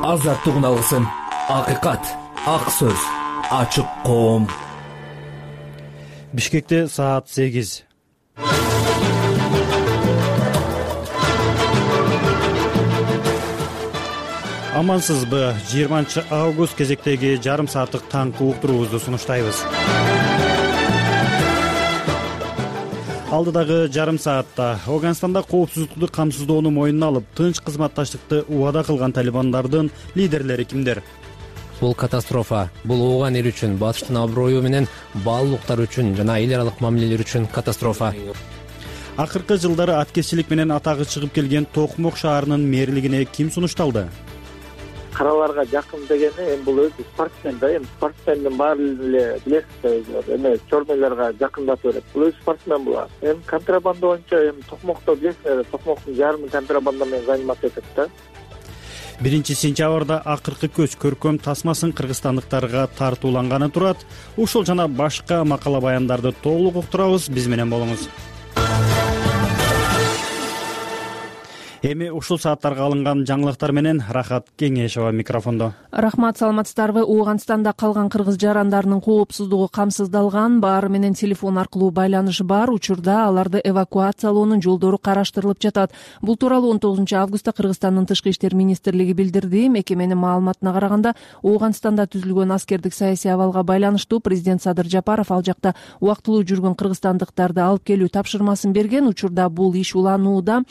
азаттык алгысын, акыйкат, ак сөз, ачык коом. Бишкекте саат 8. Амансызбы? 20-август кезектеги жарым сааттык таңкы уктуруубузду сунуштайбыз. Алдыдагы жарым саатта Афганстанда коопсуздукту камсыздоону мойнуна алып, тынч кызматташтыкты убада кылган талибандардын лидерлери кимдер? Бул катастрофа. Бул ооган эл үчүн, батыштын аброю менен баалуулуктар үчүн жана эл аралык мамилелер үчүн катастрофа. Акыркы жылдары аткезчилик менен атагы чыгып келген Токмок шаарынын мэрлигине ким сунушталды? Караларга жакын дегени эми бул өзү спортсмен да, эми спортсмендин баары эле билесиз, эми чормойлорго жакындатып берет. Бул өзү спортсмен булар. Эми контрабанда боюнча эми Токмокто билесиздер, Токмоктун жарымы контрабанда менен заниматься этет да. 1-сентябрда акыркы көч көркөм тасмасын кыргызстандыктарга тартууланганы турат. Ушул жана башка макала баяндарды толук уктурабыз. Биз менен болуңуз. Эми ушул сааттарга алынган жаңылыктар менен Рахат Кеңешова микрофондо. Рахмат, саламатсыздарбы? Ооганстанда калган кыргыз жарандарынын коопсуздугу камсыздалган, баары менен телефон аркылуу байланыш бар. Учурда аларды эвакуациялоонун жолдору караштырылып жатат. Бул тууралуу 19-августта Кыргызстандын тышкы иштер министрлиги билдирди. Мекеменин маалыматына караганда, Ооганстанда түзүлгөн аскердик саясий абалга байланыштуу президент Садыр Жапаров ал жакта убактылуу жүргөн кыргызстандыктарды алып келүү тапшырмасын берген. Учурда бул иш уланууда.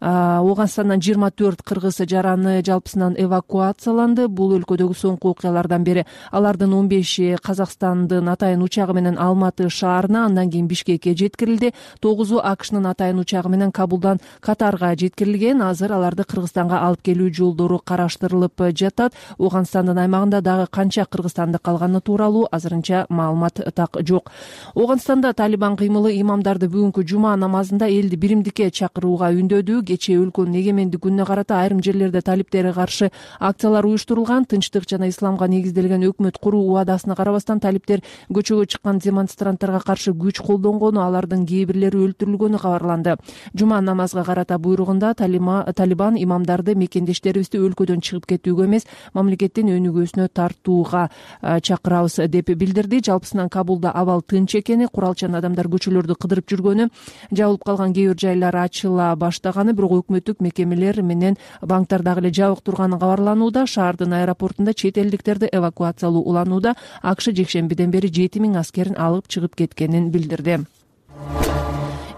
Ооганстандан 24 кыргыз жараны жалпысынан эвакуацияланды. Бул өлкөдөгү соңку окуялардан бери алардын 15-и Казакстандын атайын учагы менен Алматы шаарына, андан кийин Бишкекке жеткирилди. 9-у АКШнын атайын учагы менен Кабулдан Катарга жеткирилген. Азыр аларды Кыргызстанга алып келүү жолдору караштырылып жатат. Ооганстандын аймагында дагы канча кыргызстандык калганы тууралуу азырынча маалымат так жок. Ооганстанда Талибан кыймылы имамдарды бүгүнкү жума намазында элди биримдикке чакырууга үндөдү. Кечээ өлкөнүн эгемендик күнүнө карата айрым жерлерде талиптерге каршы акциялар уюштурулган. Тынчтык жана исламга негизделген өкмөт куруу убадасына карабастан талиптер көчөгө чыккан демонстранттарга каршы күч колдонгону, алардын кээ бирлери өлтүрүлгөнү кабарланды. Жума намазга карата буйругунда Талибан имамдарды мекендештерибизди өлкөдөн чыгып кетүүгө эмес, мамлекеттин өнүгүүсүнө тартууга чакырабыз деп билдирди. Жалпысынан Кабулда абал тынч экени, куралчан адамдар көчөлөрдү кыдырып жүргөнү, жабылып калган кээ бир жайлар ачыла баштаганы, бирок өкмөттүк мекемелер менен банктар дагы эле жабык турганы кабарланууда. Шаардын аэропортунда чет элдиктерди эвакуациялоо уланууда. АКШ жекшембиден бери 7000 аскерин алып чыгып кеткенин билдирди.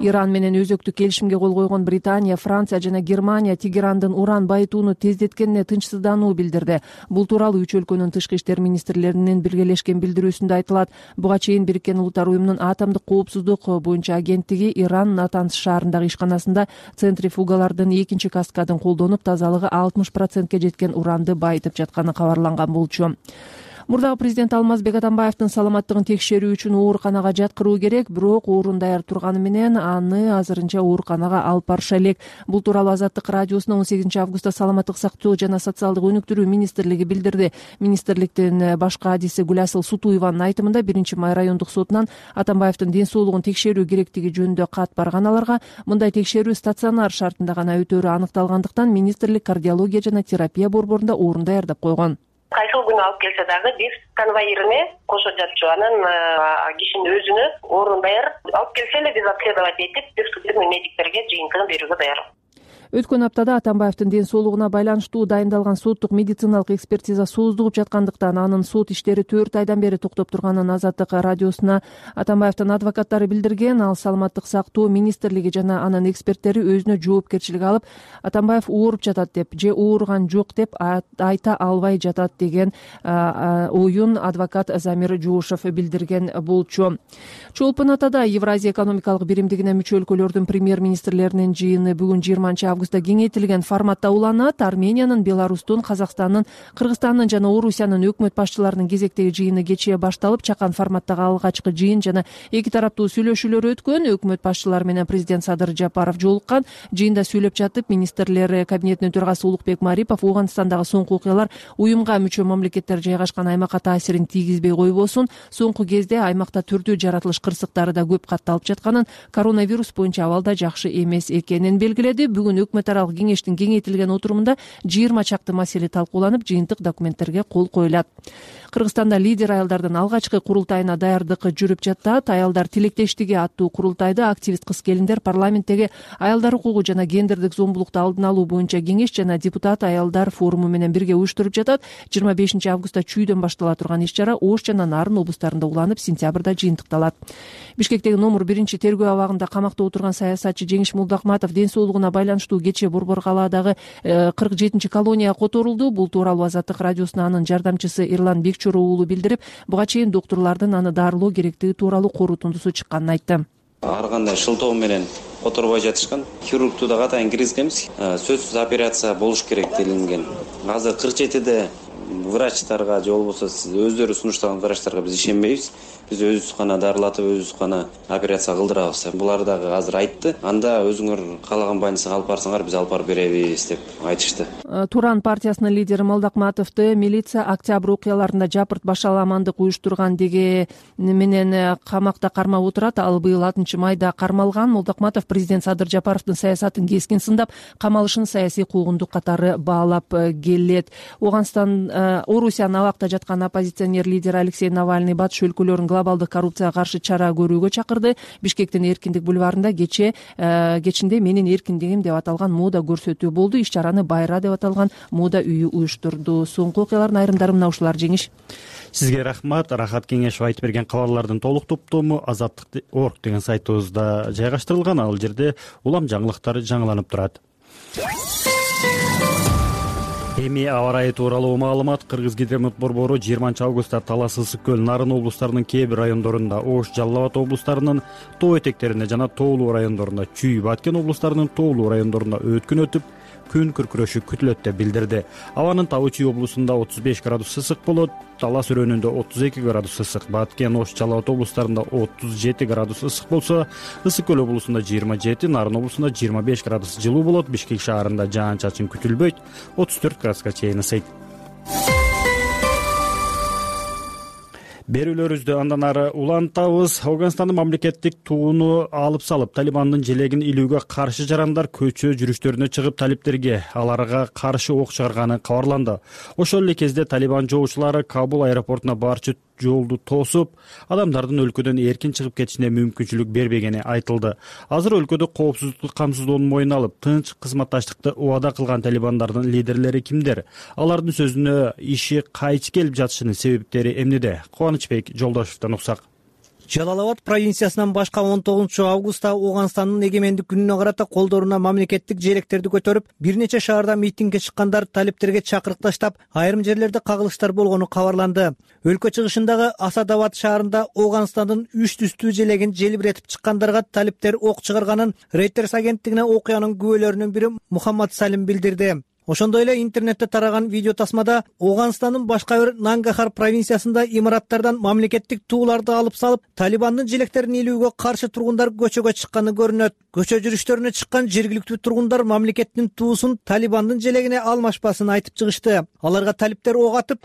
Иран менен өзөктү келишимге кол койгон Британия, Франция жана Германия Тегерандын уран байытууну тездеткенине тынчсыздануу билдирди. Бул тууралуу үч өлкөнүн тышкы иштер министрлеринин биргелешкен билдирүүсүндө айтылат. Буга чейин Бириккен Улуттар уюмунун атомдук коопсуздук боюнча агенттиги Иран Натанс шаарындагы ишканасында центрифугалардын экинчи каскадын колдонуп, тазалыгы 60%ке жеткен уранды байытып жатканы кабарланган болчу. Мурдагы президент Алмазбек Атамбаевдин саламаттыгын текшерүү үчүн ооруканага жаткыруу керек, бирок оорун даяр турганы менен аны азырынча ооруканага алып барыша элек. Бул тууралуу Азаттык радиосуна 18-августта саламаттык сактоо жана социалдык өнүктүрүү министрлиги билдирди. Министрликтин башкы адиси Гүласыл Сутуеванын айтымында 1-май райондук сотунан Атамбаевдин ден соолугун текшерүү керектиги жөнүндө кат барган аларга. Мындай текшерүү стационар шартында гана өтөөрү аныкталгандыктан министрлик кардиология жана терапия борборунда орун даярдап койгон. Кайсыл күнү алып келсе дагы биз конвоирине кошо жатчу, анан кишинин өзүнө орун даяр. Алып келсе эле биз обследовать этип, бир медиктерге жыйынтыгын берүүгө даяр. Өткөн аптада Атамбаевдин ден соолугуна байланыштуу дайындалган соттук медициналык экспертиза сооздугуп жаткандыктан анын сот иштери 4 айдан бери токтоп турганын Азаттык радиосуна Атамбаевдин адвокаттары билдирген. Ал саламаттык сактоо министрлиги жана анын эксперттери өзүнө жоопкерчилик алып, Атамбаев ооруп жатат деп же ооруган жок деп айта албай жатат деген оюн адвокат Замир Жоошев билдирген болчу. Чолпон Атада Евразия экономикалык биримдигине мүчө өлкөлөрдүн премьер-министрлеринин жыйыны бүгүн 20-августта кеңейтилген форматта уланат. Армениянын, Беларустун, Казакстандын, Кыргызстандын жана Орусиянын өкмөт башчыларынын кезектеги жыйыны кечээ башталып, чакан форматтагы алгачкы жыйын жана эки тараптуу сүйлөшүүлөр өткөн. Өкмөт башчылары менен президент Садыр Жапаров жолуккан. Жыйында сүйлөп жатып, министрлер кабинетинин төрагасы Улукбек Марипов Ооганстандагы соңку окуялар уюмга мүчө мамлекеттер жайгашкан аймакка таасирин тийгизбей койбосун, соңку кезде аймакта түрдүү жаратылыш кырсыктары да көп катталып жатканын, коронавирус боюнча абал да жакшы эмес экенин белгиледи. Бүгүн өкмөт аралык кеңештин кеңейтилген отурумунда 20 чакты маселе талкууланып, жыйынтык документтерге кол коюлат. Кыргызстанда лидер аялдардын алгачкы курултайына даярдык жүрүп жатат. Аялдар тилектештиги аттуу курултайда активист кыз-келиндер парламенттеги аялдар укугу жана гендердик зомбулукту алдын алуу боюнча кеңеш жана депутат аялдар форуму менен бирге уюштуруп жатат. 25 августта чүйдөн баштала турган иш-чара Ош жана Нарын облустарында уланып, сентябрда жыйынтыкталат. Бишкектеги номер 1 тергөө абагында камакта отурган саясатчы Жеңиш Молдохматов ден соолугуна байланыштуу кечээ Борбор калаадагы 47 колонияга которулду. Бул тууралуу Азаттык радиосуна анын жардамчысы Эрлан Бекчоров уулу билдирип, буга чейин доктурлардын аны дарылоо керектиги тууралуу корутундусу чыкканын айтты. Ар кандай шылтоо менен которбой жатышкан. Хирургту да катайын киргизгенбиз. Сөзсүз операция болуш керек делинген. Азыр 47де врачтарга же болбосо өздөрү сунуштаган врачтарга биз ишенбейбиз. Биз өзүбүз гана дарылатып, өзүбүз гана операция кылдырабыз. Булар дагы азыр айтты. Анда өзүңөр каалаган больницага алып барсаңар, биз алып барып беребиз деп айтышты. Туран партиясынын лидери Молдохматовду милиция октябрь окуяларында жапырт башаламандык уюштурган деги менен камакта кармап отурат. Ал быйыл 6 майда кармалган. Молдохматов президент Садыр Жапаровдун саясатын кескин сындап, камалышын саясий куугундук катары баалап келет. Орусиянын абакта жаткан оппозиционер лидер Алексей Навальный батыш өлкөлөрүн глобалдык коррупцияга каршы чара көрүүгө чакырды. Бишкектин Эркиндик бульварында кечинде менин эркиндигим деп аталган мода көрсөтүү болду. Иш-чараны Байра деп аталган мода үйү уюштурду. Соңку окуялардын айрымдары мына ушулар. Жеңиш, сизге рахмат. Рахат Кеңешев айтып берген кабарлардын толук топтому Азаттык.org деген сайтыбызда жайгаштырылган. Ал жерде улам жаңылыктар жаңыланып турат. Эми аба ырайы тууралуу маалымат. Кыргызгидромет борбору 20 августта Талас, Ысык көл, Нарын облустарынын кээ бир райондорунда, Ош, Жалал Абад облустарынын тоо этектеринде жана тоолуу райондорунда, Чүй, Баткен облустарынын тоолуу райондорунда өткүн өтүп, күн күркүрөшү күтүлөт деп билдирди. Абанын табы Чүй облусунда 35 градус ысык болот, Талас өрөөнүндө 32 градус ысык, Баткен, Ош, Жалал Абад облустарында 37 градус ысык болсо, Ысык көл облусунда 27, Нарын облусунда 25 градус жылуу болот. Бишкек шаарында жаан-чачын күтүлбөйт, 34 градуска чейин ысыйт. Берүүлөрүбүздү андан ары улантабыз. Ауганстандын мамлекеттик тууну алып салып, Талибандын желегин илүүгө каршы жарандар көчө жүрүштөрүнө чыгып, талиптерге аларга каршы ок чыгарганы кабарланды. Ошол эле кезде Талибан жоочулары Кабул аэропортуна барчу жолду тосуп, адамдардын өлкөдөн эркин чыгып кетишине мүмкүнчүлүк бербегени айтылды. Азыр өлкөдө коопсуздукту камсыздоонун мойнуна алып, тынч кызматташтыкты убада кылган талибандардын лидерлери кимдер? Алардын сөзүнө иши кайчы келип жатышынын себептери эмнеде? Кубанычбек Жолдошевдон уксак. Жалал Абад провинциясынан башка 19 августта Ауганстандын эгемендик күнүнө карата колдоруна мамлекеттик желектерди көтөрүп, бир нече шаарда митингге чыккандар талиптерге чакырык таштап, айрым жерлерде кагылыштар болгону кабарланды. Өлкө чыгышындагы Асадабад шаарында Ауганстандын 3 түстүү желегин желбиретип чыккандарга талиптер ок чыгарганын Reuters агенттигине окуянын күбөлөрүнүн бири Мухаммад Салим билдирди. Ошондой эле интернетте тараган видео тасмада Ауганстандын башка бир Нангахар провинциясында имараттардан мамлекеттик тууларды алып салып, Талибандын желектерин илүүгө каршы тургундар көчөгө чыкканы көрүнөт. Көчө жүрүштөрүнө чыккан жергиликтүү тургундар мамлекеттин туусун Талибандын желегине алмашпасын айтып чыгышты. Аларга талиптер ок атып,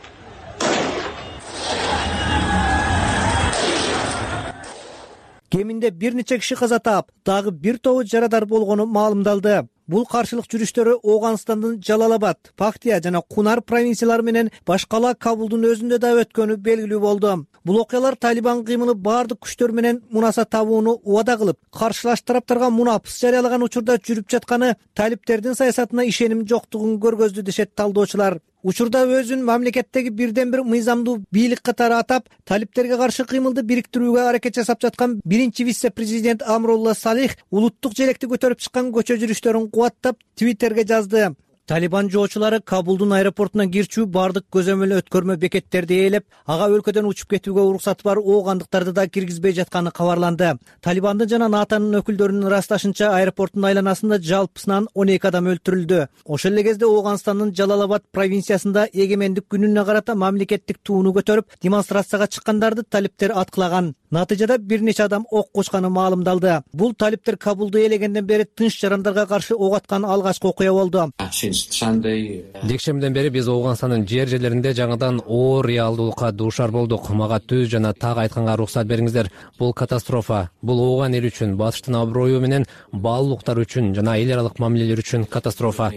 кеминде бир нече киши каза таап, дагы бир тобу жарадар болгону маалымдалды. Бул каршылык жүрүштөрү Ауганстандын Жалал Абад, Пактия жана Кунар провинциялары менен башкала Кабулдун өзүндө да өткөнү белгилүү болду. Бул окуялар Талибан кыймылы баардык күчтөр менен мунаса табууну убада кылып, каршылаш тараптарга мунапыс жарыялаган учурда жүрүп жатканы талиптердин саясатына ишеним жоктугун көргөздү дешет талдоочулар. Учурда өзүн мамлекеттеги бирден бир мыйзамдуу бийлик катары атап, талиптерге каршы кыймылды бириктирүүгө аракет жасап жаткан биринчи вице-президент Амрулла Салих улуттук желекти көтөрүп чыккан көчө жүрүштөрүн кубаттап Твиттерге жазды. Талибан жоочулары Кабулдун аэропортуна кирчүү бардык көзөмөл өткөрмө бекеттерди ээлеп, ага өлкөдөн учуп кетүүгө уруксаты бар оогандыктарды да киргизбей жатканы кабарланды. Талибандын жана НАТОнун өкүлдөрүнүн ырасташынча, аэропорттун айланасында жалпысынан 12 адам өлтүрүлдү. Ошол эле кезде Ауганстандын Жалал Абад провинциясында эгемендик күнүнө карата мамлекеттик тууну көтөрүп, демонстрацияга чыккандарды талиптер аткылаган. Натыйжада бир нече адам ок кучканы маалымдалды. Бул талиптер Кабулду ээлегенден бери тынч жарандарга каршы ок аткан алгачкы окуя болду. жекшембиден бери биз Ооганстандын жерлеринде жаңыдан оор реалдуулукка дуушар болдук. Мага түз жана так айтканга уруксат бериңиздер. Бул катастрофа. Бул Ооган эли үчүн, батыштын аброю менен баалуулуктар үчүн жана эл аралык мамилелер үчүн катастрофа.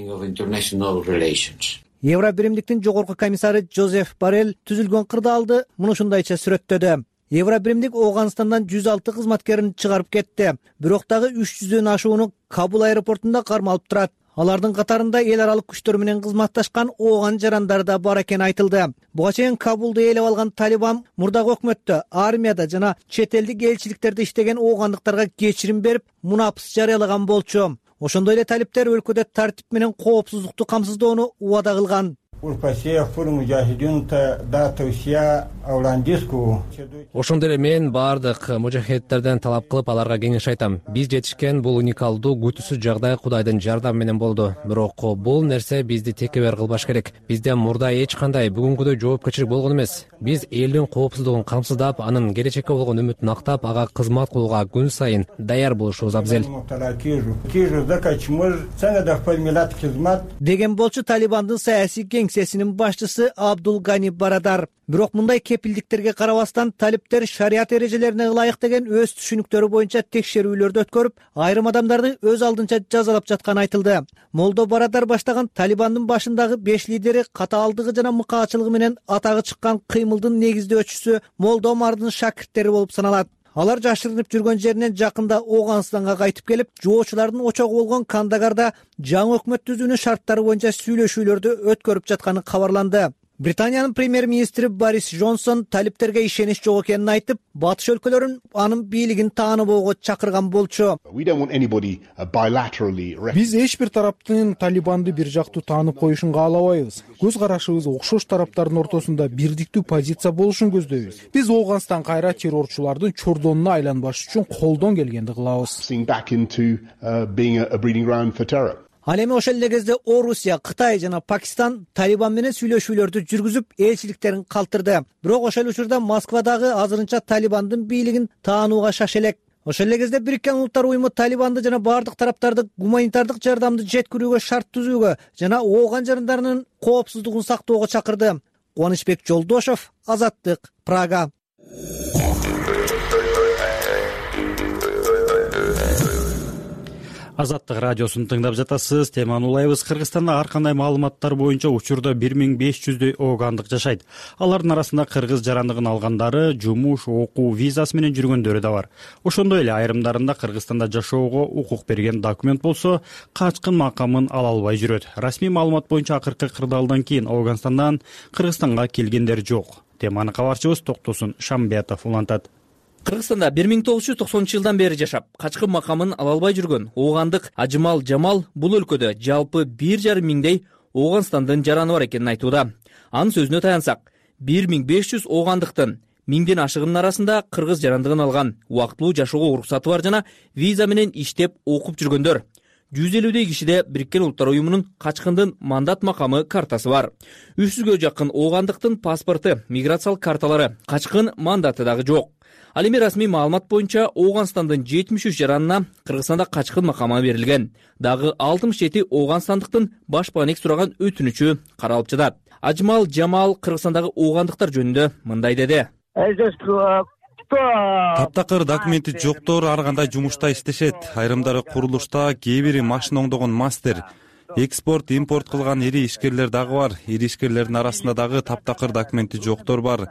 Евро биримдиктин жогорку комиссары Жозеф Боррелл түзүлгөн кырдаалды муну ушундайча сүрөттөдү. Евро биримдик Ооганстандан 106 кызматкерин чыгарып кетти. Бирок дагы 300дөн ашууну Кабул аэропортунда кармалып турат. Алардын катарында эл аралык күчтөр менен кызматташкан ооган жарандар да бар экени айтылды. Буга чейин Кабулду ээлеп алган Талибан мурдагы өкмөттө, армияда жана чет элдик элчиликтерде иштеген оогандыктарга кечирим берип, мунапыс жарыялаган болчу. Ошондой эле талиптер өлкөдө тартип менен коопсуздукту камсыздоону убада кылган. Ошондой эле мен баардык мужахедтерден талап кылып аларга кеңеш айтам. Биз жетишкен бул уникалдуу күтүүсүз жагдай Кудайдын жардамы менен болду. Бирок бул нерсе бизди текебер кылбаш керек. Бизде мурда эч кандай бүгүнкүдөй жоопкерчилик болгон эмес. Биз элдин коопсуздугун камсыздап, анын келечекке болгон үмүтүн актап, ага кызмат кылууга күн сайын даяр болушубуз абзел. Деген болчу Талибандын саясий кеңсесинин башчысы Абдул Гани Барадар. Бирок мындай кепилдиктерге карабастан талиптер шарият эрежелерине ылайык деген өз түшүнүктөрү боюнча текшерүүлөрдү өткөрүп, айрым адамдарды өз алдынча жазалап жатканы айтылды. Молдо Барадар баштаган Талибандын башындагы 5 лидери катаалдыгы жана мыкаачылыгы менен атагы чыккан кыймылдын негиздөөчүсү Молдо Омардын шакирттери болуп саналат. Алар жашырынып жүргөн жеринен жакында Ооганстанга кайтып келип, жоочулардын очогу болгон Кандагарда жаңы өкмөт түзүүнүн шарттары боюнча сүйлөшүүлөрдү өткөрүп жатканы кабарланды. Британиянын премьер-министри Борис Джонсон талиптерге ишенич жок экенин айтып, батыш өлкөлөрүн анын бийлигин тааныбоого чакырган болчу. Биз эч бир тараптын Талибанды бир жактуу таанып коюшун каалабайбыз. Көз карашыбыз окшош тараптардын ортосунда бирдиктүү позиция болушун көздөйбүз. Биз Ооганстан кайра террорчулардын чордонуна айланбаш үчүн колдон келгенди кылабыз. Ал эми ошол эле кезде Орусия, Кытай жана Пакистан Талибан менен сүйлөшүүлөрдү жүргүзүп, элчиликтерин калтырды. Бирок ошол учурда Москвадагы азырынча Талибандын бийлигин таанууга шашелек. Ошол эле кезде Бириккен Улуттар уюму Талибанды жана бардык тараптарды гуманитардык жардамды жеткирүүгө шарт түзүүгө жана ооган жарандарынын коопсуздугун сактоого чакырды. Кубанычбек Жолдошов, Азаттык, Прага. Азаттык радиосун тыңдап жатасыз. Теманы улайбыз. Кыргызстанда ар кандай маалыматтар боюнча учурда 1500дөй оогандык жашайт. Алардын арасында кыргыз жарандыгын алгандары, жумуш, окуу визасы менен жүргөндөрү да бар. Ошондой эле айрымдарында Кыргызстанда жашоого укук берген документ болсо, качкын макамын ала албай жүрөт. Расмий маалымат боюнча акыркы кырдаалдан кийин Ооганстандан Кыргызстанга келгендер жок. Теманы кабарчыбыз Токтосун Шамбетов улантат. Кыргызстанда 1990-жылдан бери жашап, качкын макамын ала албай жүргөн оогандык Ажымал Жамал бул өлкөдө жалпы 1,5 миңдей Ооганстандын жараны бар экенин айтууда. Анын сөзүнө таянсак, 1500 оогандыктын 1000ден ашыгынын арасында кыргыз жарандыгын алган, убактылуу жашоого уруксаты бар жана виза менен иштеп окуп жүргөндөр. 150дөй кишиде Бириккен Улуттар уюмунун качкындын мандат макамы картасы бар. 300гө жакын оогандыктын паспорты, миграциялык карталары, качкын мандаты дагы жок. Ал эми расмий маалымат боюнча Ооганстандын 73 жаранына Кыргызстанда качкын макамы берилген. Дагы 67 ооганстандыктын башпаанек сураган өтүнүчү каралып жатат. Ажмал Жамал Кыргызстандагы оогандыктар жөнүндө мындай деди. Таптакыр документи жоктор ар кандай жумушта иштешет. Айрымдары курулушта, кээ бири машина оңдогон мастер. Экспорт, импорт кылган ири ишкерлер дагы бар. Ири ишкерлердин арасында дагы таптакыр документи жоктор бар.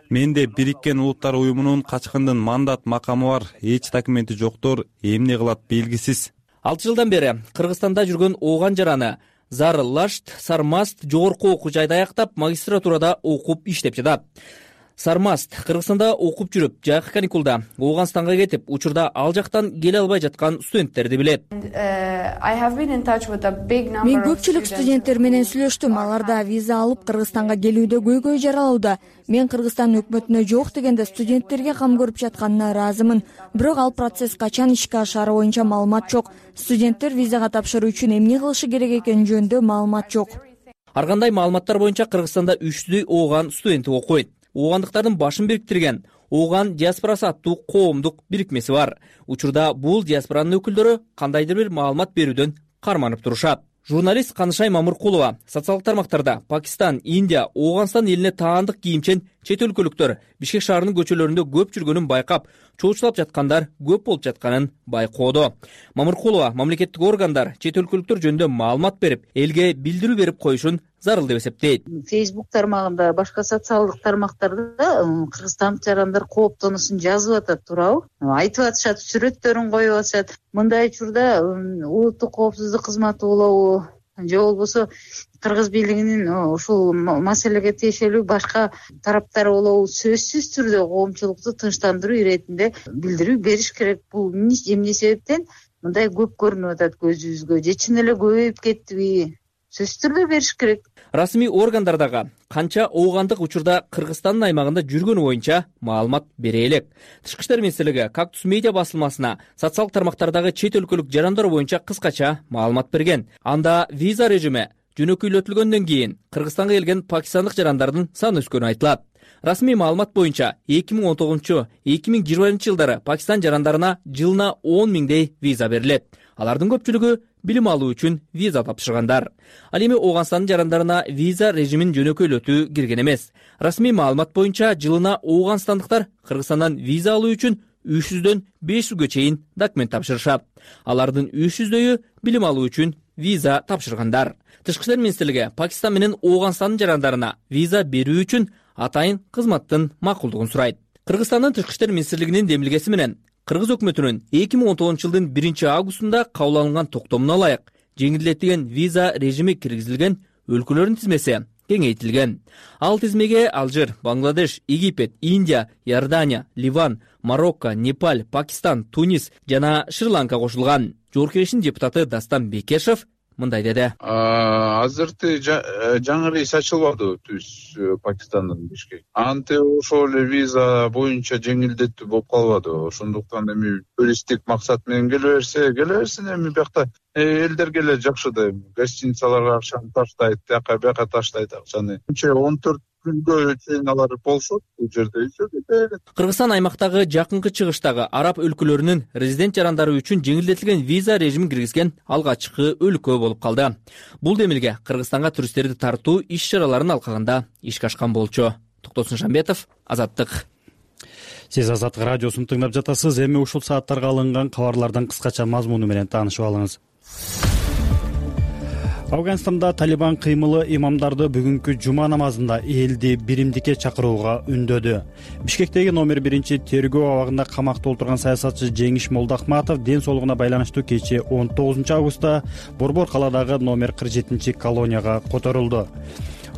Менде Бириккен Улуттар уюмунун качкындын мандат макамы бар. Эч документи жоктор эмне кылат белгисиз. 6 жылдан бери Кыргызстанда жүргөн ооган жараны Зар Лашт Сармаст жогорку окуу жайда аяктап, магистратурада окуп иштеп жатат. Сармаст Кыргызстанда окуп жүрүп, жайкы каникулда Ооганстанга кетип, учурда ал жактан келе албай жаткан студенттерди билет. Мен көпчүлүк студенттер менен сүйлөштүм. Аларда виза алып Кыргызстанга келүүдө көйгөй жаралууда. Мен Кыргызстан өкмөтүнө жок дегенде студенттерге кам көрүп жатканына ыраазымын. Бирок ал процесс качан ишке ашаары боюнча маалымат жок. Студенттер визага тапшыруу үчүн эмне кылышы керек экени жөнүндө маалымат жок. Ар кандай маалыматтар боюнча Кыргызстанда 300дөй ооган студенти окуйт. Оогандыктардын башын бириктирген Ооган диаспорасы аттуу коомдук бирикмеси бар. Учурда бул диаспоранын өкүлдөрү кандайдыр бир маалымат берүүдөн карманып турушат. Журналист Канышай Мамыркулова социалдык тармактарда Пакистан, Индия, Ооганстан элине таандык кийимчен чет өлкөлүктөр Бишкек шаарынын көчөлөрүндө көп жүргөнүн байкап, чоочулап жаткандар көп болуп жатканын байкоодо. Мамыркулова мамлекеттик органдар чет өлкөлүктөр жөнүндө маалымат берип, элге билдирүү берип коюшун зарыл деп эсептейт. Facebook тармагында, башка социалдык тармактарда кыргызстандык жарандар кооптонуусун жазып атат, туурабы? Айтып атышат, сүрөттөрүн коюп атышат. Мындай учурда улуттук коопсуздук кызматы болобу, же болбосо кыргыз бийлигинин ушул маселеге тиешелүү башка тараптары болобу, сөзсүз түрдө коомчулукту тынчтандыруу иретинде билдирүү бериш керек. Бул эмне себептен мындай көп көрүнүп атат көзүбүзгө, же чын эле көбөйүп кеттиби? Сөзсүз түрдө бериш керек. Расмий органдар дагы канча оогандык учурда Кыргызстандын аймагында жүргөнү боюнча маалымат бере элек. Тышкы иштер министрлиги Кактус медиа басылмасына социалдык тармактардагы чет өлкөлүк жарандар боюнча кыскача маалымат берген. Анда виза режими жөнөкөйлөтүлгөндөн кийин Кыргызстанга келген пакистандык жарандардын саны өскөнү айтылат. Расмий маалымат боюнча 2019-2020 жылдары Пакистан жарандарына жылына 10 миңдей виза берилет. Алардын көпчүлүгү билим алуу үчүн виза тапшыргандар. Ал эми Ооганстандын жарандарына виза режимин жөнөкөйлөтүү кирген эмес. Расмий маалымат боюнча жылына ооганстандыктар Кыргызстандан виза алуу үчүн 300дөн 500гө чейин документ тапшырышат. Алардын 300дөйү билим алуу үчүн виза тапшыргандар. Тышкы иштер министрлиги Пакистан менен Ооганстандын жарандарына виза берүү үчүн атайын кызматтын макулдугун сурайт. Кыргызстандын Тышкы иштер министрлигинин демилгеси менен Кыргыз өкмөтүнүн 2019 жылдын 1-августунда кабыл алынган токтомуна ылайык жеңилдетилген виза режими киргизилген өлкөлөрдүн тизмеси кеңейтилген. Ал тизмеге Алжир, Бангладеш, Египет, Индия, Иордания, Ливан, Марокко, Непал, Пакистан, Тунис жана Шри-Ланка кошулган. Жогорку Кеңештин депутаты Дастан Бекешев мындай деди. Азыркы жаңы рейс ачылбады түз Пакистандан Бишкек. Антип ошол эле виза боюнча жеңилдетүү болуп калбады. Ошондуктан эми туристтик максат менен келе берсин эми биякта элдерге эле жакшы да. Гостиницаларга акчаны таштайт, бияка таштайт акчаны. 14 күнгө чейин алар болушот бул жерде. Кыргызстан аймактагы жакынкы чыгыштагы араб өлкөлөрүнүн резидент жарандары үчүн жеңилдетилген виза режимин киргизген алгачкы өлкө болуп калды. Бул демилге Кыргызстанга туристтерди тартуу иш-чараларын алкагында ишке ашкан болчу. Токтосун Шамбетов, Азаттык. Сиз Азаттык радиосун тыңдап жатасыз. Эми ушул сааттарга алынган кабарлардын кыскача мазмуну менен таанышып алыңыз. Афганистанда Талибан кыймылы имамдарды бүгүнкү жума намазында элди биримдикке чакырууга үндөдү. Бишкектеги номер 1 тергөө абагында камакта отурган саясатчы Жеңиш Молдахматов ден соолугуна байланыштуу кечээ 19 августта Борбор калаадагы номер 47 колонияга которулду.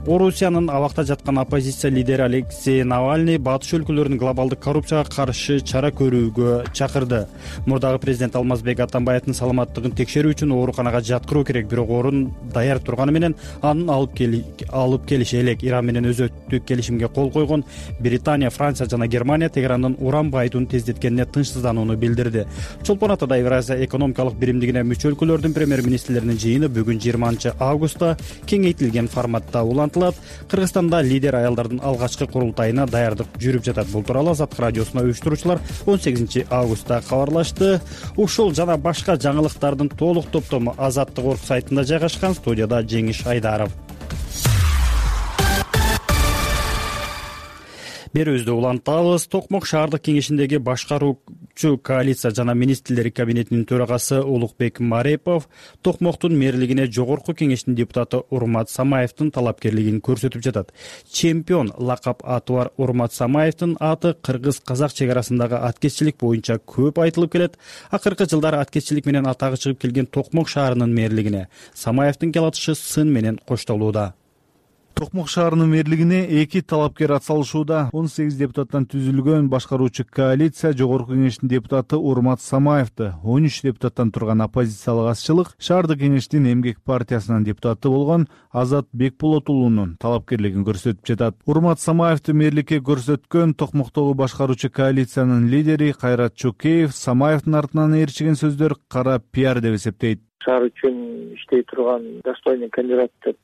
Орусиянын абакта жаткан оппозиция лидери Алексей Навальный батыш өлкөлөрүнүн глобалдык коррупцияга каршы чара көрүүгө чакырды. Мурдагы президент Алмазбек Атамбаевдин саламаттыгын текшерүү үчүн ооруканага жаткыруу керек, бирок орун даяр турганы менен анын алып келиши элек. Иран менен өзөттүк келишимге кол койгон Британия, Франция жана Германия Тегерандын уран байытууну тездеткенине тынчсызданууну билдирди. Чолпон Атада Евразия экономикалык биримдигине мүчө өлкөлөрдүн премьер-министрлеринин жыйыны бүгүн 20 августта кеңейтилген форматта Кыргызстанда лидер аялдардын алгачкы курултайына даярдык жүрүп жатат. Бул тууралуу Азаттык радиосуна уюштуруучулар 18 августта кабарлашты. Ушул жана башка жаңылыктардын толук топтому Азаттык орг сайтында жайгашкан. Студияда Жеңиш Айдаров. Берүүбүздү улантабыз. Токмок шаардык кеңешиндеги башкаруучу коалиция жана министрлер кабинетинин төрагасы Улукбек Марепов Токмоктун мэрлигине жогорку кеңештин депутаты Урмат Самаевдин талапкерлигин көрсөтүп жатат. Чемпион лакап аты бар Урмат Самаевдин аты кыргыз-казак чек арасындагы аткезчилик боюнча көп айтылып келет. Акыркы жылдары аткезчилик менен атагы чыгып келген Токмок шаарынын мэрлигине Самаевдин келатышы сын менен коштолууда. Токмок шаарынын мэрлигине 2 талапкер атсалышууда. 18 депутаттан түзүлгөн башкаруучу коалиция жогорку кеңештин депутаты Урмат Самаевди, 13 депутаттан турган оппозициялык азчылык шаардык кеңештин эмгек партиясынын депутаты болгон Азат Бекболотулуунун талапкерлигин көрсөтүп жатат. Урмат Самаевди мэрликке көрсөткөн Токмоктогу башкаруучу коалициянын лидери Кайрат Чокеев Самаевдин артынан ээрчиген сөздөр кара пиар деп эсептейт. Шаар үчүн иштей турган достойный кандидат деп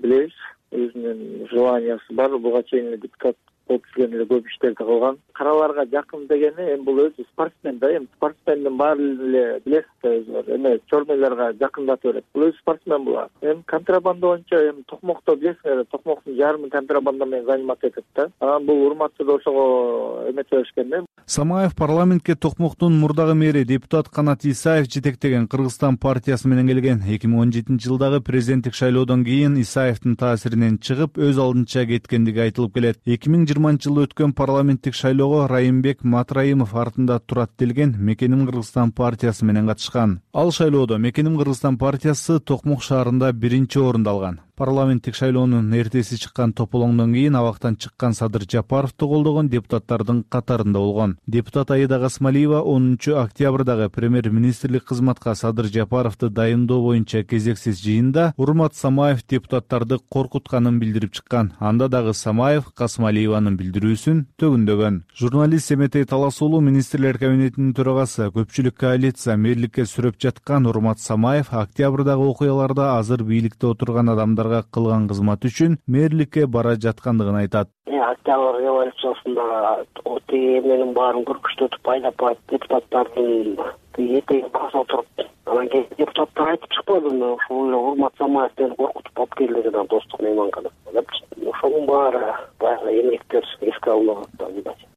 билебиз. Өзүнүн желаниясы бар. Буга чейин депутат ал кишиден эле көп иштерди кылган. Караларга жакын дегени эми бул өзү спортсмен да, эми спортсмендин баары эле билесиз да өзү эме чормойлорго жакындатып берет. Бул өзү спортсмен булар. Эми контрабанда боюнча эми Токмокто билесиңер, Токмоктун жарымы контрабанда менен заниматься этет да. Анан бул урматчы да ошого эметип беришкен да. Самаев парламентке Токмоктун мурдагы мэри депутат Канат Исаев жетектеген Кыргызстан партиясы менен келген. 2017-жылдагы президенттик шайлоодон кийин Исаевдин таасиринен чыгып, өз алдынча кеткендиги айтылып келет. 2020-жылы өткөн парламенттик шайлоого Райымбек Матраимов артында турат делген Мекеним Кыргызстан партиясы менен катышкан. Ал шайлоодо Мекеним Кыргызстан партиясы Токмок шаарында 1-орунду алган. Парламенттик шайлоонун эртеси чыккан тополоңдон кийин абактан чыккан Садыр Жапаровду колдогон депутаттардын катарында болгон. Депутат Аида Гасмалиева 10 октябрдагы премьер-министрлик кызматка Садыр Жапаровду дайындоо боюнча кезексиз жыйында Урмат Самаев депутаттарды коркутканын билдирип чыккан. Анда дагы Самаев Гасмалиеванын билдирүүсүн төгүндөгөн. Журналист Семетей Талас уулу министрлер кабинетинин төрагасы көпчүлүк коалиция мэрликке сүрөп жаткан Урмат Самаев октябрдагы окуяларда азыр бийликте отурган адамдар кылган кызмат үчүн мэрликке бара жаткандыгын айтат. Октябрь революциясында тиги менин баарын көркүчтөтүп айдап депутаттардын этегин баса отуруп, анан кийин депутаттар айтып чыкпады, ушул эле Урмат Самаевден коркутуп алып келди деген достук мейманка депчи. Ошонун баары баягы эмгектер эске алынат.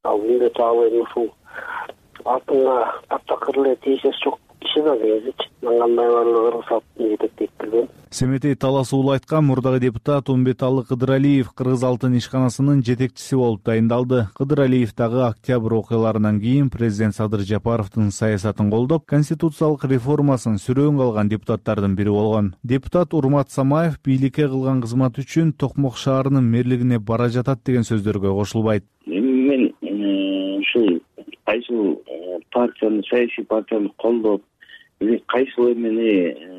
Ал милдет эми ушул алтынга таптакыр эле тийишеси жок киши да кезичи. Кандай баарлыгы Кыргыз жетектейт билбейм. Семетей Талас уулу айткан мурдагы депутат Умбеталы Кыдыралиев Кыргыз алтын ишканасынын жетекчиси болуп дайындалды. Кыдыралиев дагы октябрь окуяларынан кийин президент Садыр Жапаровдун саясатын колдоп, конституциялык реформасын сүрөөнгө алган депутаттардын бири болгон. Депутат Урмат Самаев бийликке кылган кызмат үчүн Токмок шаарынын мэрлигине бара жатат деген сөздөргө кошулбайт. Мен ушул кайсыл партияны, саясий партияны колдоп, кайсыл эмени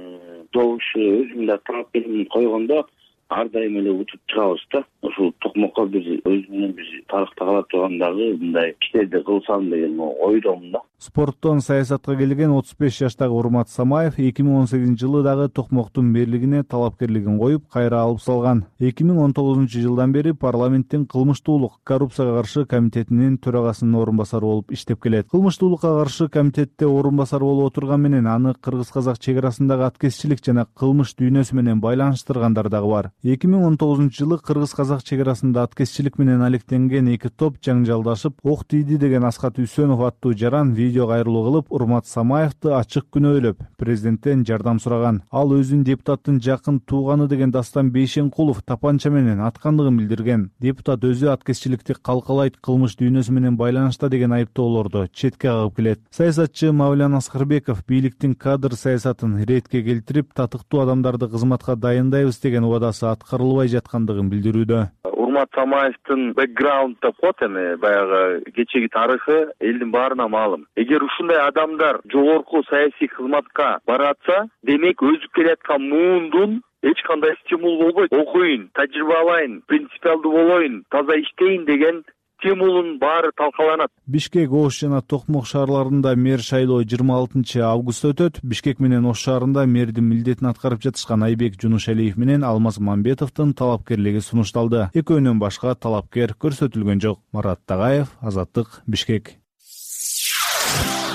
добушу өзүм да талапкерлигин койгондо ар дайым эле утуп чыгабыз да. Ушул Токмокко биз өзүмдүн тарыхта кала тургандагы мындай иштерди кылсам деген ойдомун да. Спорттон саясатка келген 35 жаштагы Урмат Самаев 2018-жылы дагы Токмоктун мэрлигине талапкерлигин коюп, кайра алып салган. 2019-жылдан бери парламенттин кылмыштуулук, коррупцияга каршы комитетинин төрагасынын орун басары болуп иштеп келет. Кылмыштуулукка каршы комитетте орун басары болуп отурган менен аны кыргыз-казак чек-арасындагы аткезчилик жана кылмыш дүйнөсү менен байланыштыргандар дагы бар. 2019-жылы кыргыз-казак чек-арасында аткезчилик менен алектенген эки топ жаңжалдашып, ок тийди деген Аскат Үсөнов аттуу жаран видео кайрылуу кылып, Урмат Самаевди ачык күнөөлөп, президенттен жардам сураган. Ал өзүн депутаттын жакын тууганы деген Дастан Бейшенкулов тапанча менен аткандыгын билдирген. Депутат өзү аткезчиликти калкалайт, кылмыш дүйнөсү менен байланышта деген айыптоолорду четке кагып келет. Саясатчы Мавлян Аскарбеков бийликтин кадр саясатын ретке келтирип, татыктуу адамдарды кызматка дайындайбыз деген убадасы аткарылбай жаткандыгын билдирүүдө. Урмат Самаевдин бэкграунд деп коет, эми баягы кечеги тарыхы элдин баарына маалым. Эгер ушундай адамдар жогорку саясий кызматка баратса, демек өзүп келаткан муундун эч кандай стимул болбойт. Окуйн, тажрыйба алайын, принципиалдуу болоюн, таза иштейин деген стимулун баары талкаланат. Бишкек, Ош жана Токмок шаарларында мэр шайлоо 26 августта өтөт. Бишкек менен Ош шаарында мэрдин милдетин аткарып жатышкан Айбек Жунушалиев менен Алмаз Мамбетовдун талапкерлиги сунушталды. Экөөнөн башка талапкер көрсөтүлгөн жок. Марат Тагаев, Азаттык, Бишкек.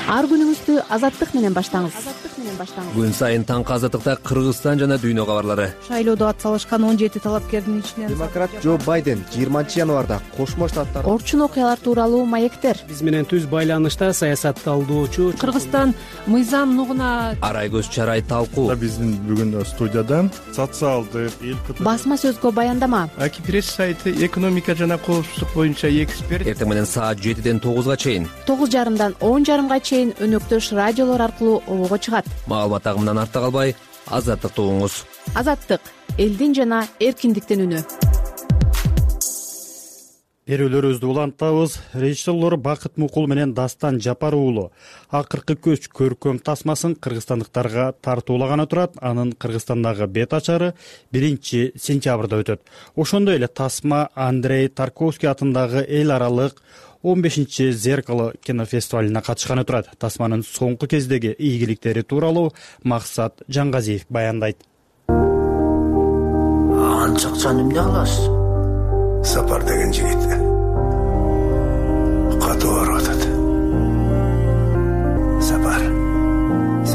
Ар күнүңүздү Азаттык менен баштаңыз. Күн сайын таңкы Азаттыкта Кыргызстан жана дүйнө кабарлары. Шайлоодо ат салышкан 17 талапкердин ичинен демократ Джо Байден 20 январда Кошмо Штаттар орчун окуялар тууралуу маектер. Биз менен түз байланышта саясатталуучу Кыргызстан мыйзам нугуна Арай көз чарай талкуу. Биздин бүгүн студияда социалдык басма сөзгө баяндама. Аки пресс сайты экономика жана коопсуздук боюнча эксперт. Эртең менен саат 7-ден 9-га чейин, 9:30дан 10:30га чейин өнөктөш радиолор аркылуу обого чыгат. Маалымат агымынан артта калбай, Азаттыкты угуңуз. Азаттык — элдин жана эркиндиктин үнү. Берүүлөрүбүздү улантабыз. Режиссерлор Бакыт Мукул менен Дастан Жапар уулу акыркы көч көркөм тасмасын кыргызстандыктарга тартуулаганы турат. Анын Кыргызстандагы бет ачары 1 сентябрда өтөт. Ошондой эле тасма Андрей Тарковский атындагы эл аралык 15 Зеркало кинофестивалына катышканы турат. Тасманын соңку кездеги ийгиликтери тууралуу Максат Жангазиев баяндайт. Анча акчаны эмне кыласыз? Сапар деген жигит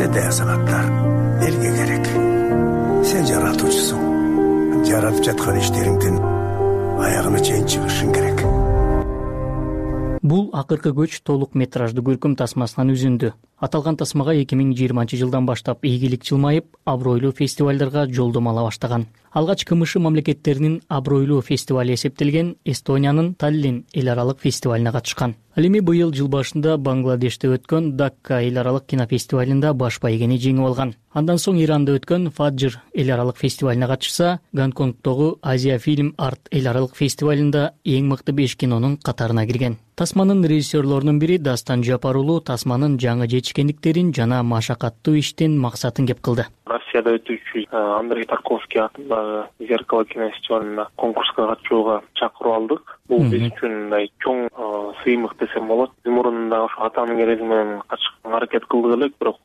кандай азаматтар элге керек? Сен жаратуучусуң. Жаратып жаткан иштериңдин аягына чейин чыгышың керек. Бул акыркы көч толук метраждуу көркөм тасмасынан үзүндү. Аталган тасмага 2020-жылдан баштап ийгилик жылмайып, абройлуу фестивалдарга жолдомо ала баштаган. Алгач КМШ мамлекеттеринин абройлуу фестивали эсептелген Эстониянын Таллин эл аралык фестивалине катышкан. Ал эми быйыл жыл башында Бангладеште өткөн Дакка эл аралык кинофестивалында баш байгени жеңип алган. Андан соң Иранда өткөн Фаджр эл аралык фестивалине катышса, Гонконгдогу Азия фильм арт эл аралык фестивалында эң мыкты 5 кинонун катарына кирген. Тасманын режиссерлорунун бири Дастан Жапар уулу тасманын жаңы жетишкендиктерин жана машакаттуу иштин максатын кеп кылды. Россияда өтүүчү Андрей Тарковский атындагы Зеркало кинофестивалына конкурска катышууга чакыруу алдык. Бул биз үчүн мындай чоң сыймык десем болот. Биз мурунда ошо атанын кереги менен катышканга аракет кылдык элек, бирок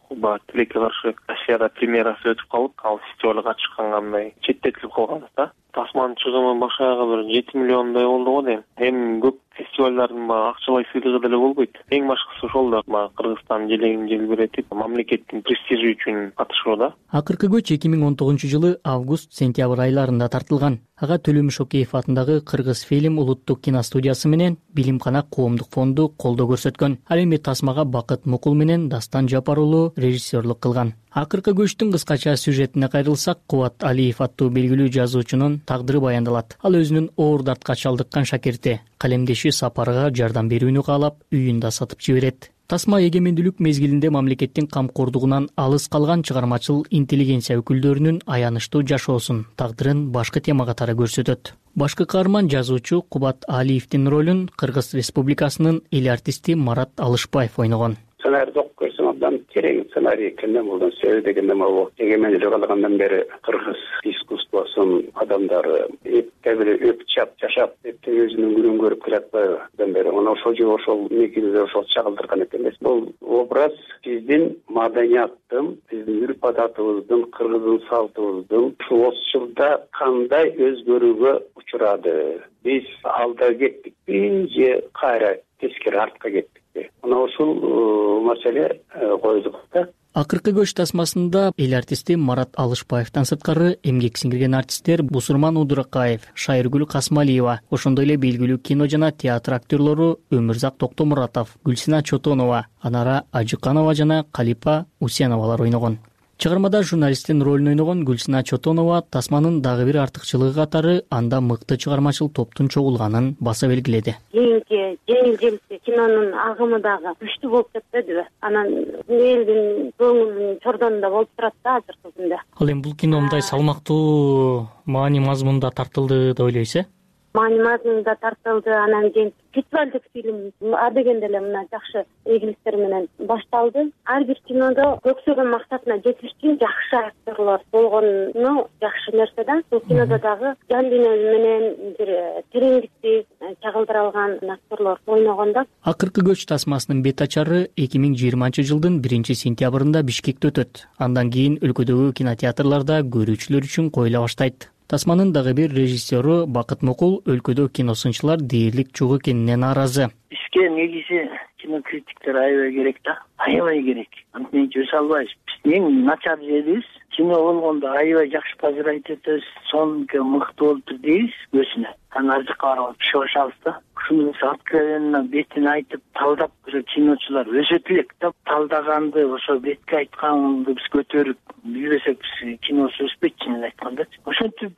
тилекке каршы Россияда премьерасы өтүп калып, ал фестивалга катышканга мындай четтетилип калганбыз да. Тасманын чыгымы башаяга бир 7 миллиондой болду го дейм. Эми көп фестивалдардын акчалай сыйлыгы деле болбойт. Эң башкысы ошол да Кыргызстан желегин желбиретип, мамлекеттин престижи үчүн катышуу да. Акыркы көч 2019-жылы август-сентябрь айларында тартылган. Ага Төлөм Шокеев атындагы Кыргыз фильм улуттук киностудиясы менен Билимкана коомдук фонду колдоо көрсөткөн. Ал эми тасмага Бакыт Мукул менен Дастан Жапар уулу режиссерлук кылган. Акыркы көчтүн кыскача сюжетине кайрылсак, Кубат Алиев аттуу белгилүү жазуучунун тагдыры баяндалат. Ал өзүнүн оор дартка чалдыккан шакирти, калемдеши Сапарга жардам берүүнү каалап, үйүн да сатып жиберет. Тасма эгемендүүлүк мезгилинде мамлекеттин камкордугунан алыс калган чыгармачыл интеллигенция өкүлдөрүнүн аянычтуу жашоосун, тагдырын башкы тема катары көрсөтөт. Башкы каарман жазуучу Кубат Алиевдин ролун Кыргыз Республикасынын эл артисти Марат Алышбаев ойногон. Сценарийди окуп көрсөм абдан терең сценарий экенин, булдан себеби дегенде могу эгемендүүлүк алгандан бери кыргыз искусствосунун адамдары эптеп эле өпчап жашап, эптеп өзүнүн күнүн көрүп келатпайбы абдан бери. Мына ошол негизде ошол чагылдырган экен. Бул образ биздин маданияттын, биздин үрп адатыбыздын, кыргыздын салтыбыздын ушул 30 жылда кандай өзгөрүүгө учурады? Биз алда кеттикпи же кайра тескери артка кеттикпи? Мына ушул маселе коюлдук да. Акыркы көч тасмасында эл артисти Марат Алышбаевден сырткары эмгек сиңирген артисттер Бусурман Удуракаев, Шайыргүл Касмалиева, ошондой эле белгилүү кино жана театр актерлору Өмүрзак Токтомуратов, Гүлсина Чотонова, Анара Ажыканова жана Калипа Усеновалар ойногон. Чыгармада журналисттин ролун ойногон Гүлсина Чотонова тасманын дагы бир артыкчылыгы катары анда мыкты чыгармачыл топтун чогулганын баса белгиледи. Кийинки жеңил-желпи кинонун агымы дагы күчтүү болуп кетпедиби? Анан элдин көңүлүнүн чордонунда болуп турат да азыркы күндө. Ал эми бул кино мындай салмактуу маани мазмунда тартылды деп ойлойсуз, Маани мазмунда тартылды, анан кийин фестивалдык фильм адегенде эле мына жакшы ийгиликтер менен башталды. Ар бир кинодо көксөгөн максатына жетиш үчүн жакшы актерлор болгону жакшы нерсе да. Бул кинодо дагы жан дүйнө менен бир тереңдикти чагылдыра алган актерлор ойногон да. Акыркы көч тасмасынын бет ачары 2020-жылдын 1-сентябрында Бишкекте өтөт. Андан кийин өлкөдөгү кинотеатрларда көрүүчүлөр үчүн коюла баштайт. Тасманын дагы бир режиссеру Бакыт Мукул өлкөдө киносунчулар дээрлик жок экенине нааразы. Бизге негизи кинокритиктер аябай керек да, аябай керек. Антип өсө албайбыз. Биз эң начар жерибиз кино болгондо аябай жакшы позировать этебиз, сонука мыкты болуптур дейбиз өзүнө. Анан ар жакка барып чыгышабыз да. Ушуну откровенно бетин айтып талдап киночулар өсөт элек да. Талдаганды ошо бетке айтканды биз көтөрүп билбесек биз киносу өспөйт, чынын айтканда. Ошентип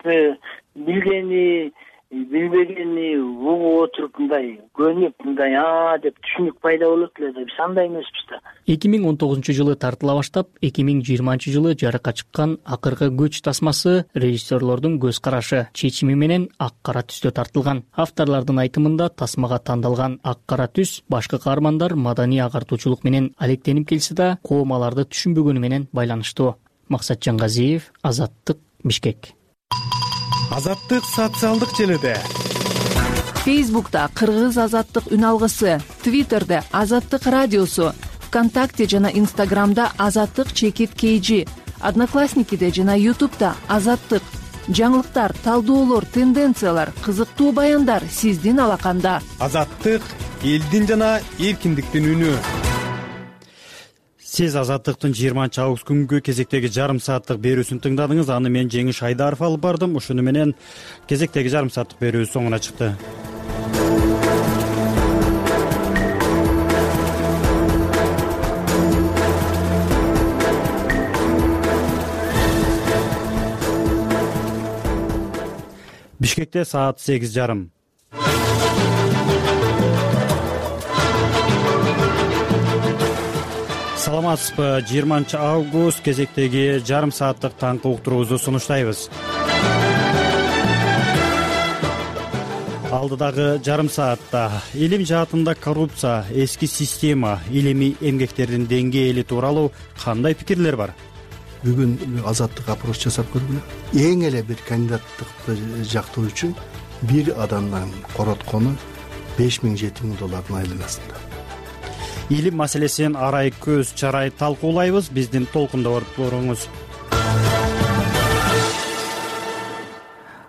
билгени билбегени угуп отуруп мындай көнүп мындай деп түшүнүк пайда болот эле да, биз андай эмеспиз да. 2019-жылы тартыла баштап 2020-жылы жарыкка чыккан акыркы көч тасмасы режиссерлордун көз карашы, чечими менен ак-кара түстө тартылган. Авторлордун айтымында тасмага тандалган ак-кара түс башкы каармандар маданий агартуучулук менен алектенип келсе да, коом аларды түшүнбөгөнү менен байланыштуу. Максат Жангазиев, Азаттык, Бишкек. Азаттык социалдык желиде. Фейсбукта Кыргыз азаттык үн алгысы, Твиттерде Азаттык радиосу, ВКонтакте жана Инстаграмда Азаттык _KG, Одноклассникиде жана Ютубта Азаттык. Жаңылыктар, талдоолор, тенденциялар, кызыктуу баяндар сиздин алаканда. Азаттык элдин жана эркиндиктин үнү. Сиз Азаттыктын 20-август күнгү кезектеги жарым сааттык берүүсүн тыңдадыңыз. Аны мен Жеңиш Айдаров алып бардым. Ушуну менен кезектеги жарым сааттык берүү соңуна чыкты. Бишкекте саат 8:30. Саламатсызбы? 20-август кезектеги жарым сааттык таңкы уктуруубузду сунуштайбыз. Алдыдагы жарым саатта илим жаатында коррупция, эски система, илимий эмгектердин деңгээли тууралуу кандай пикирлер бар? Бүгүн азаттык опрос жасап көргүлө. Эң эле бир кандидаттыкты жактоо үчүн бир адамдан короткону $5,000–7,000 айланасында. Илим маселесин арай көз чарай талкуулайбыз. Биздин толкунда боруңуз.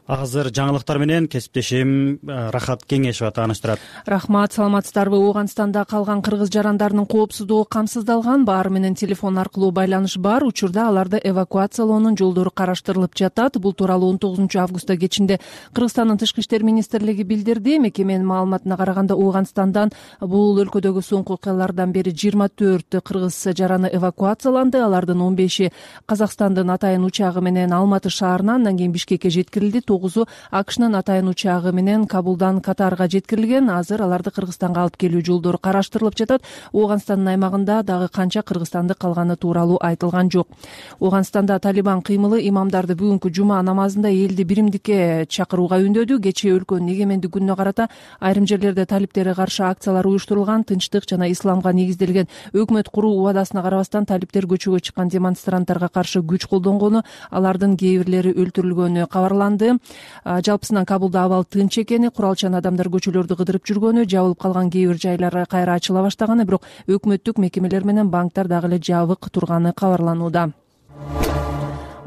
Азыр жаңылыктар менен кесиптешим Рахат Кеңешова тааныштырат. Рахмат, саламатсыздарбы? Ооганстанда калган кыргыз жарандарынын коопсуздугу камсыздалган. Баары менен телефон аркылуу байланыш бар. Учурда аларды эвакуациялоонун жолдору караштырылып жатат. Бул тууралуу 19-августта кечинде Кыргызстандын Тышкы иштер министрлиги билдирди. Мекеменин маалыматына караганда Ооганстандан бул өлкөдөгү соңку окуялардан бери 24 кыргыз жараны эвакуацияланды. Алардын 15 Казакстандын атайын учагы менен Алматы шаарынан, андан кийин Бишкекке жеткирилди. 9 АКШнын атайын учагы менен Кабулдан Катарга жеткирилген. Азыр аларды Кыргызстанга алып келүү жолдору караштырылып жатат. Ооганстандын аймагында дагы канча кыргызстанды калганы тууралуу айтылган жок. Ооганстанда Талибан кыймылы имамдарды бүгүнкү жума намазында элди биримдикке чакырууга үндөдү. Кечээ өлкөнүн эгемендик күнүнө карата айрым жерлерде талиптерге каршы акциялар уюштурулган. Тынчтык жана исламга негизделген өкмөт куруу убадасына карабастан талиптер көчөгө чыккан демонстранттарга каршы күч колдонгону, алардын кээ бирлери өлтүрүлгөнү кабарланды. Жалпысынан Кабулда абал тынч экени, куралчан адамдар көчөлөрдү кыдырып жүргөнү, жабылып калган кээ бир жайлар кайра ачыла баштаганы, бирок өкмөттүк мекемелер менен банктар дагы эле жабык турганы кабарланууда.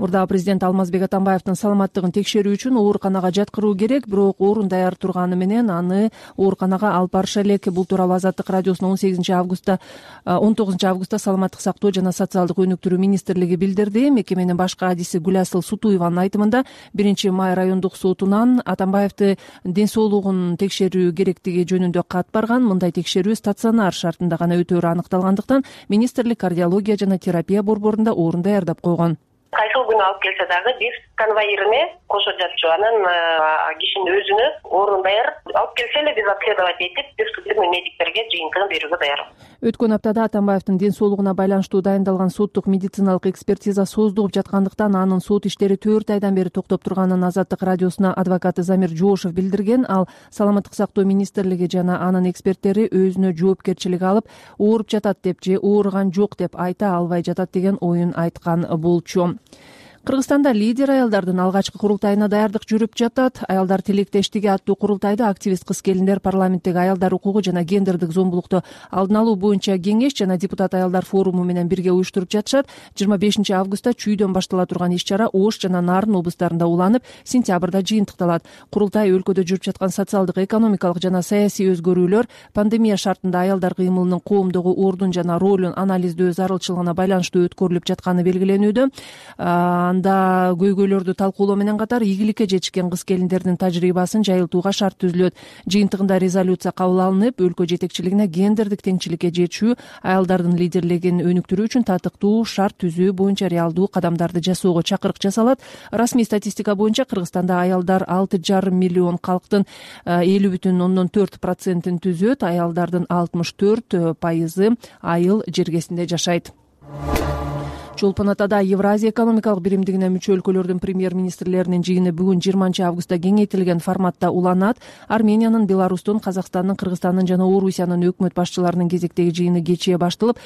Мурдагы президент Алмазбек Атамбаевдин саламаттыгын текшерүү үчүн ооруканага жаткыруу керек, бирок орун даяр турганы менен аны ооруканага алып барыша элек. Бул тууралуу Азаттык радиосунун 19 августта саламаттык сактоо жана социалдык өнүктүрүү министрлиги билдирди. Мекеменин башкы адиси Гүласыл Сутуеванын айтымында 1-май райондук сотунан Атамбаевди ден соолугун текшерүү керектиги жөнүндө кат барган. Мындай текшерүү стационар шартында гана өтөөрү аныкталгандыктан министрлик кардиология жана терапия борборунда орун даярдап койгон. Кайсыл күнү алып келсе дагы бир конвоирине кошо жатчу, анан кишинин өзүнө орун даяр. Алып келсе эле биз обследовать этип, бир судебный медиктерге жыйынтыгын берүүгө даярбыз. Өткөн аптада Атамбаевдин ден соолугуна байланыштуу дайындалган соттук медициналык экспертиза создугуп жаткандыктан анын сот иштери 4 айдан бери токтоп турганын Азаттык радиосуна адвокаты Замир Жоошев билдирген. Ал саламаттык сактоо министрлиги жана анын эксперттери өзүнө жоопкерчилик алып, ооруп жатат деп же ооруган жок деп айта албай жатат деген оюн айткан болчу. Кыргызстанда лидер аялдардын алгачкы курултайына даярдык жүрүп жатат. Аялдар тилектештиги аттуу курултайда активист кыз-келиндер, парламенттеги аялдар укугу жана гендердик зомбулукту алдын алуу боюнча кеңеш жана депутат аялдар форуму менен бирге уюштуруп жатышат. 25 августта чүйдөн баштала турган иш-чара Ош жана Нарын облустарында уланып, сентябрда жыйынтыкталат. Курултай өлкөдө жүрүп жаткан социалдык, экономикалык жана саясий өзгөрүүлөр, пандемия шартында аялдар кыймылынын коомдогу ордун жана ролун анализдөө зарылчылыгына байланыштуу өткөрүлүп жатканы белгиленүүдө. Анда көйгөйлөрдү талкуулоо менен катар ийгиликке жетишкен кыз-келиндердин тажрыйбасын жайылтууга шарт түзүлөт. Жыйынтыгында резолюция кабыл алынып, өлкө жетекчилигине гендердик теңчиликке жетишүү, аялдардын лидерлигин өнүктүрүү үчүн татыктуу шарт түзүү боюнча реалдуу кадамдарды жасоого чакырык жасалат. Расмий статистика боюнча Кыргызстанда аялдар 6,5 миллион калктын 50,4% түзөт. Аялдардын 64% айыл жергесинде жашайт. Чолпон Атада Евразия экономикалык биримдигине мүчө өлкөлөрдүн премьер-министрлеринин жыйыны бүгүн 20 августта кеңейтилген форматта уланат. Армениянын, Беларустун, Казакстандын, Кыргызстандын жана Орусиянын өкмөт башчыларынын кезектеги жыйыны кечээ башталып,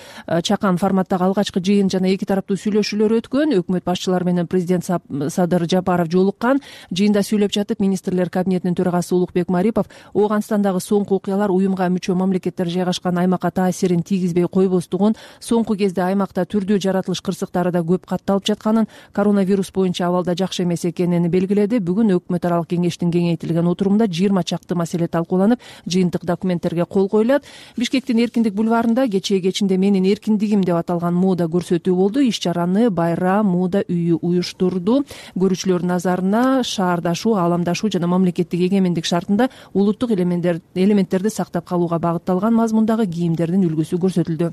чакан форматтагы алгачкы жыйын жана эки тараптуу сүйлөшүүлөр өткөн. Өкмөт башчылары менен президент Садыр Жапаров жолуккан. Жыйында сүйлөп жатып, министрлер кабинетинин төрагасы Улукбек Марипов Ооганстандагы соңку окуялар уюмга мүчө мамлекеттер жайгашкан аймакка таасирин тийгизбей койбостугун, соңку кезде аймакта түрдүү жаратылыш кырсык ысыктары да көп катталып жатканын, коронавирус боюнча абалда жакшы эмес экенин белгиледи. Бүгүн өкмөт аралык кеңештин кеңейтилген отурумда 20 чакты маселе талкууланып, жыйынтык документтерге кол коюлат. Бишкектин Эркиндик бульварында кечинде менин эркиндигим деп аталган мода көрсөтүү болду. Иш чараны Байрам мода үйү уюштурду. Көрүүчүлөрдүн назарына шаардашуу, ааламдашуу жана мамлекеттик эгемендик шартында улуттук элементтерди сактап калууга багытталган мазмундагы кийимдердин үлгүсү көрсөтүлдү.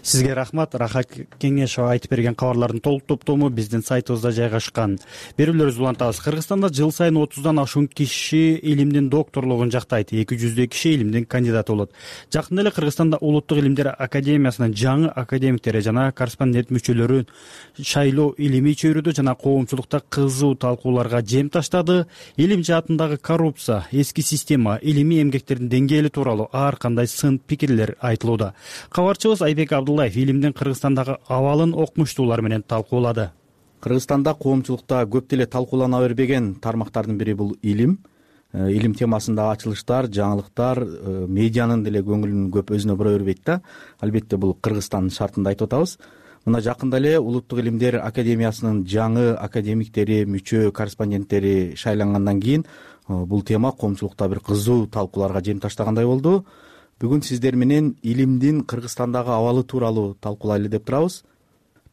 Сизге рахмат. Рахат Кеңешова айтып берген кабарлардын толук топтому биздин сайтыбызда жайгашкан. Берүүлөрүбүздү улантабыз. Кыргызстанда жыл сайын 30дан ашуун киши илимдин докторлугун жактайт. 200 киши илимдин кандидаты болот. Жакында эле Кыргызстанда Улуттук илимдер академиясынын жаңы академиктери жана корреспондент мүчөлөрүн шайлоо илимий чөйрөдө жана коомчулукта кызуу талкууларга жем таштады. Илим жаатындагы коррупция, эски система, илимий эмгектердин деңгээли тууралуу ар кандай сын пикирлер айтылууда. Кабарчыбыз Айбек Абдуллаев илимдин Кыргызстандагы абалын окумуштуулар менен талкуулады. Кыргызстанда коомчулукта көп деле талкуулана бербеген тармактардын бири бул илим. Илим темасындагы ачылыштар, жаңылыктар медианын деле көңүлүн көп өзүнө бура бербейт да. Албетте бул Кыргызстандын шартында айтып атабыз. Мына жакында эле Улуттук илимдер академиясынын жаңы академиктери, мүчө корреспонденттери шайлангандан кийин бул тема коомчулукта бир кызуу талкууларга жем таштагандай болду. Бүгүн сиздер менен илимдин Кыргызстандагы абалы тууралуу талкуулайлы деп турабыз.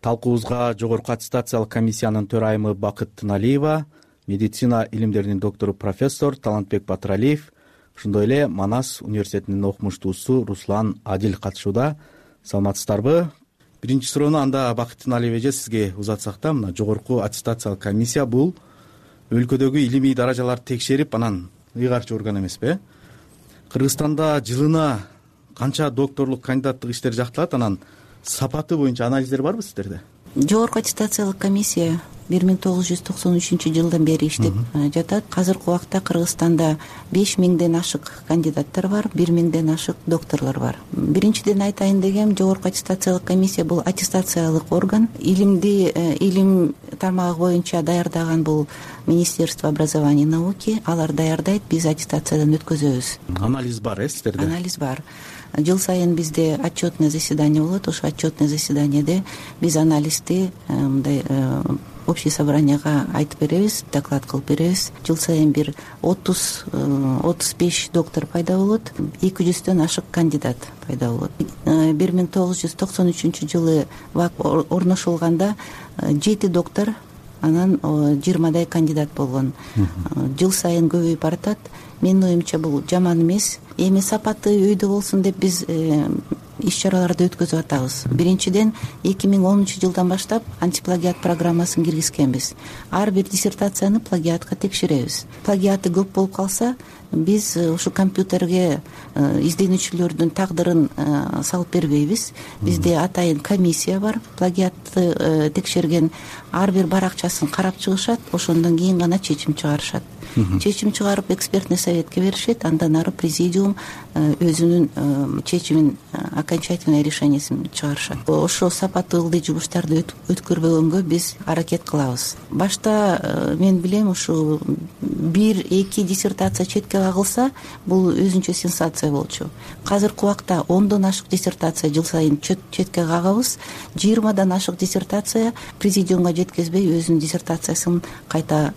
Талкуубузга Жогорку аттестациялык комиссиянын төрайымы Бакыт Тыналиева, медицина илимдеринин доктору профессор Талантбек Батыралиев, ошондой эле Манас университетинин окумуштуусу Руслан Адил катышууда. Саламатсыздарбы? Биринчи суроону анда Бакыт Тыналиев эже сизге узатсак да, мына Жогорку аттестациялык комиссия бул өлкөдөгү илимий даражаларды текшерип, анан ыйгарып чыгарган эмеспи? Кыргызстанда жылына канча докторлук, кандидаттык иштер жакталат, анан сапаты боюнча анализдер барбы сиздерде? Жогорку аттестациялык комиссия 1993 жылдан бери иштеп жатат. Азыркы убакта Кыргызстанда 5000ден ашык кандидаттар бар, 1000ден ашык докторлор бар. Биринчиден айтайын дегем, Жогорку аттестациялык комиссия бул аттестациялык орган. Илим тармагы боюнча даярдаган бул Министерство образования и науки, алар даярдайт, биз аттестациядан өткөзөбүз. Анализ бар сиздерде? Анализ бар. Жыл сайын бизде отчетный заседание болот. Ошо отчетный заседанияде биз анализди мындай общий собранияга айтып беребиз, доклад кылып беребиз. Жыл сайын бир 30-35 доктор пайда болот, 200дөн ашык кандидат пайда болот. 1993 жылы ВАК орношулганда 7 доктор, анан 20дай кандидат болгон. Жыл сайын көбөйүп баратат. Менин оюмча бул жаман эмес. Эми сапаты өйдө болсун деп биз иш чараларды өткөзүп атабыз. Биринчиден 2010 жылдан баштап антиплагиат программасын киргизкенбиз. Ар бир диссертацияны плагиатка текшеребиз. Плагиаты көп болуп калса, биз ушу компьютерге изденүүчүлөрдүн тагдырын салып бербейбиз. Бизде атайын комиссия бар, плагиатты текшерген ар бир баракчасын карап чыгышат, ошондон кийин гана чечим чыгарышат. Чечим чыгарып экспертный советке беришет, андан ары президиум өзүнүн чечимин, окончательный решениесин чыгарышат. Ошо сапаты ылдый жумуштарды өткөрбөгөнгө биз аракет кылабыз. Башта мен билем, ушу 1-2 диссертация четке кагылса, бул өзүнчө сенсация болчу. Азыркы убакта 10дон ашык диссертация жыл сайын четке кагабыз. 20дан ашык диссертация президиумга жеткизбей өзүнүн диссертациясын кайта